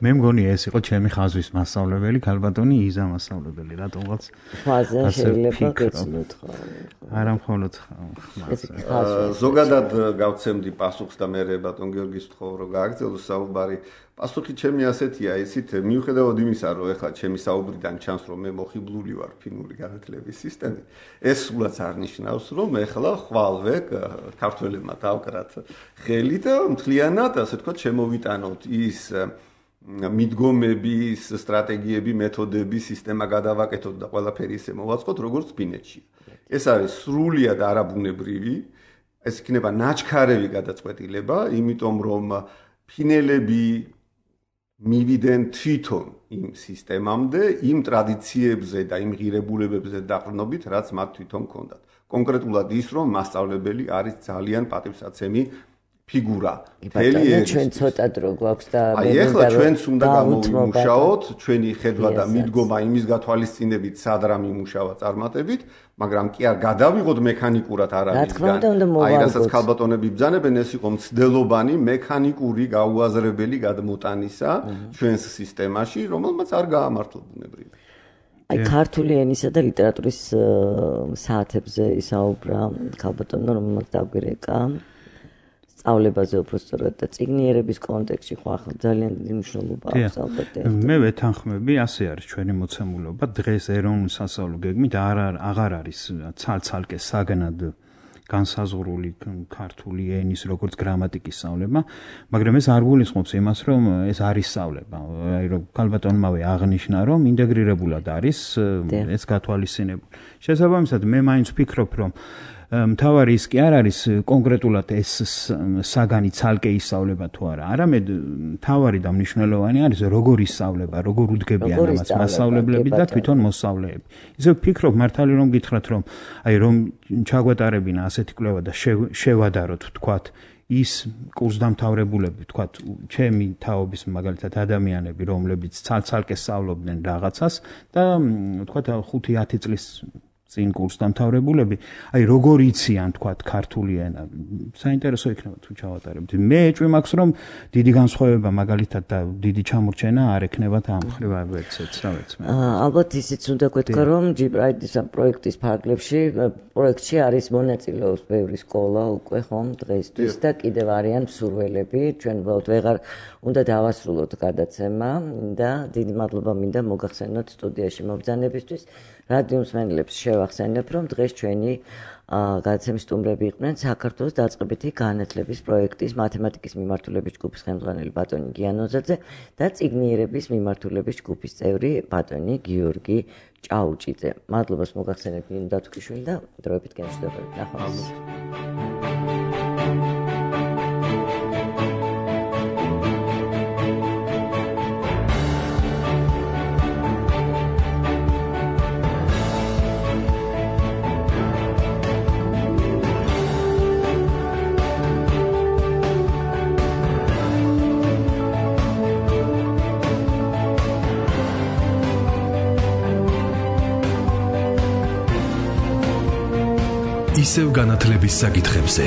მე მგონი ეს იყო ჩემი ხაზვის მასწავლებელი, ქალბატონი იზა მასწავლებელი, რატომღაც ხაზა შეიძლება გეცნოთ ხო? არა მხოლოდ ზოგადად გავცემდი პასუხს და მე ბატონ გიორგის ვთხოვ რომ გააგრძელოს საუბარი. პასუხი ჩემი ასეთია, ისიც მიუხედავად იმისა, რომ ეხლა ჩემი საუბრიდან ჩანს, რომ მე მოხიბლული ვარ ფინური განათლების სისტემით, ეს სულაც არ ნიშნავს, რომ ეხლა ხვალვე ქართველებმა დავკრათ ხელი და მთლიანად, ასე ვთქვათ, შემოვიტანოთ ის მიდგომების, სტრატეგიები, მეთოდები, სისტემა გადავაკეთოთ და ყველაფერი ისე მოვაწყოთ, როგორც ფინეთშია. ეს არის სრულიად არაბუნებრივი, ეს იქნება ნაჩქარევი გადაწყვეტილება, იმიტომ რომ ფინელები მივიდნენ თვითონ იმ სისტემამდე, იმ ტრადიციებზე და იმ ღირებულებებზე დაყრდნობით, რაც მათ თვითონ ჰქონდათ. კონკრეტულად ის, რომ მასწავლებელი არის ძალიან პატივსაცემი ფიგურა. მთელი ჩვენ ცოტა დრო გვაქვს და აი ახლა ჩვენც უნდა გამოვიმუშაოთ ჩვენი ხედვა და მიდგომა იმის გათვალისწინებით სად რა მიმუშავა წარმატებით, მაგრამ კი არ გადავიღოთ მექანიკურად არავისგან. აი რასაც ქალბატონები ბრძანებენ, ეს იყო მცდელობანი მექანიკური გაუაზრებელი გადმოტანისა ჩვენს სისტემაში, რომელმაც არ გაამართლა ბუნებრივი. აი ქართული ენისა და ლიტერატურის საათებზე ისაუბრა ქალბატონო, რომელმაც დაგვირეკა სწავლებაზე უფრო სწორად და წიგნიერების კონტექსტში ხო ახლა ძალიან დიდი მნიშვნელობა აქვს ალბათ. მე ვეთანხმები, ასე არის ჩვენი მოცემულობა. დღეს ეროვნულ სასწავლო გეგმით არ აღარ არის ცალ-ცალკე საგნად განსაზღვრული ქართული ენის როგორც გრამატიკის სწავლება, მაგრამ ეს არ გულისხმობს იმას, რომ ეს არის სწავლება. აი რომ ქალბატონმავე აღნიშნა, რომ ინტეგრირებულად არის ეს გათვალისწინებული. შესაბამისად, მე მაინც ვფიქრობ, რომ მთავარი ის კი არ არის კონკრეტულად ეს საგანი ცალკე ისწავლება თუ არა. არამედ მთავარი და მნიშვნელოვანი არის როგორ ისწავლება, როგორ უდგებიან ამას მასწავლებლები და თვითონ მოსწავლეები. ისე ვფიქრობ მართალი რომ გითხრათ, რომ აი რომ ჩაგვეტარებინა ასეთი კვლევა და შევადაროთ თქვათ ის კურსდამთავრებულები, თქვათ, ჩემი თაობის მაგალითად ადამიანები, რომლებიც ცალ-ცალკე სწავლობდნენ რაღაცას და თქვათ ხუთი ათი წლის წინ კურსდამთავრებულები, აი როგორ იციან თქვათ ქართული ენა. საინტერესო იქნება თუ ჩავატარებთ. მე ეჭვი მაქვს, რომ დიდი განსხვავება მაგალითად და დიდი ჩამორჩენა არ ექნებათ ამ ხრივ ვერცეც, რა ვეც მე. ალბათ ისიც უნდა გვეთქვა, რომ ჯი-პრაიდის პროექტის ფარგლებში პროექტში არის მონაწილეობს ბევრი სკოლა უკვე ხომ დღეისთვის და კიდევ არიან მსურველები. ჩვენ უბრალოდ ვეღარ უნდა დავასრულოთ გადაცემა და დიდი მადლობა მინდა მოგახსენოთ სტუდიაში მობრძანებისთვის. რადიო მსმენელებს შევახსენებ, რომ დღეს ჩვენი გადაცემის სტუმრები იყვნენ საქართველოს დაწყებითი განათლების პროექტის მათემატიკის მიმართულების ჯგუფის ხელმძღვანელი ბატონი გიანოზაძე და წიგნიერების მიმართულების ჯგუფის წევრი ბატონი გიორგი ჭაუჭიძე. მადლობას მოგახსენებ ნინო დათუქიშვილი და დროებით გენშდებოდეთ. ნახვამდის. ისევ განათლების საკითხებზე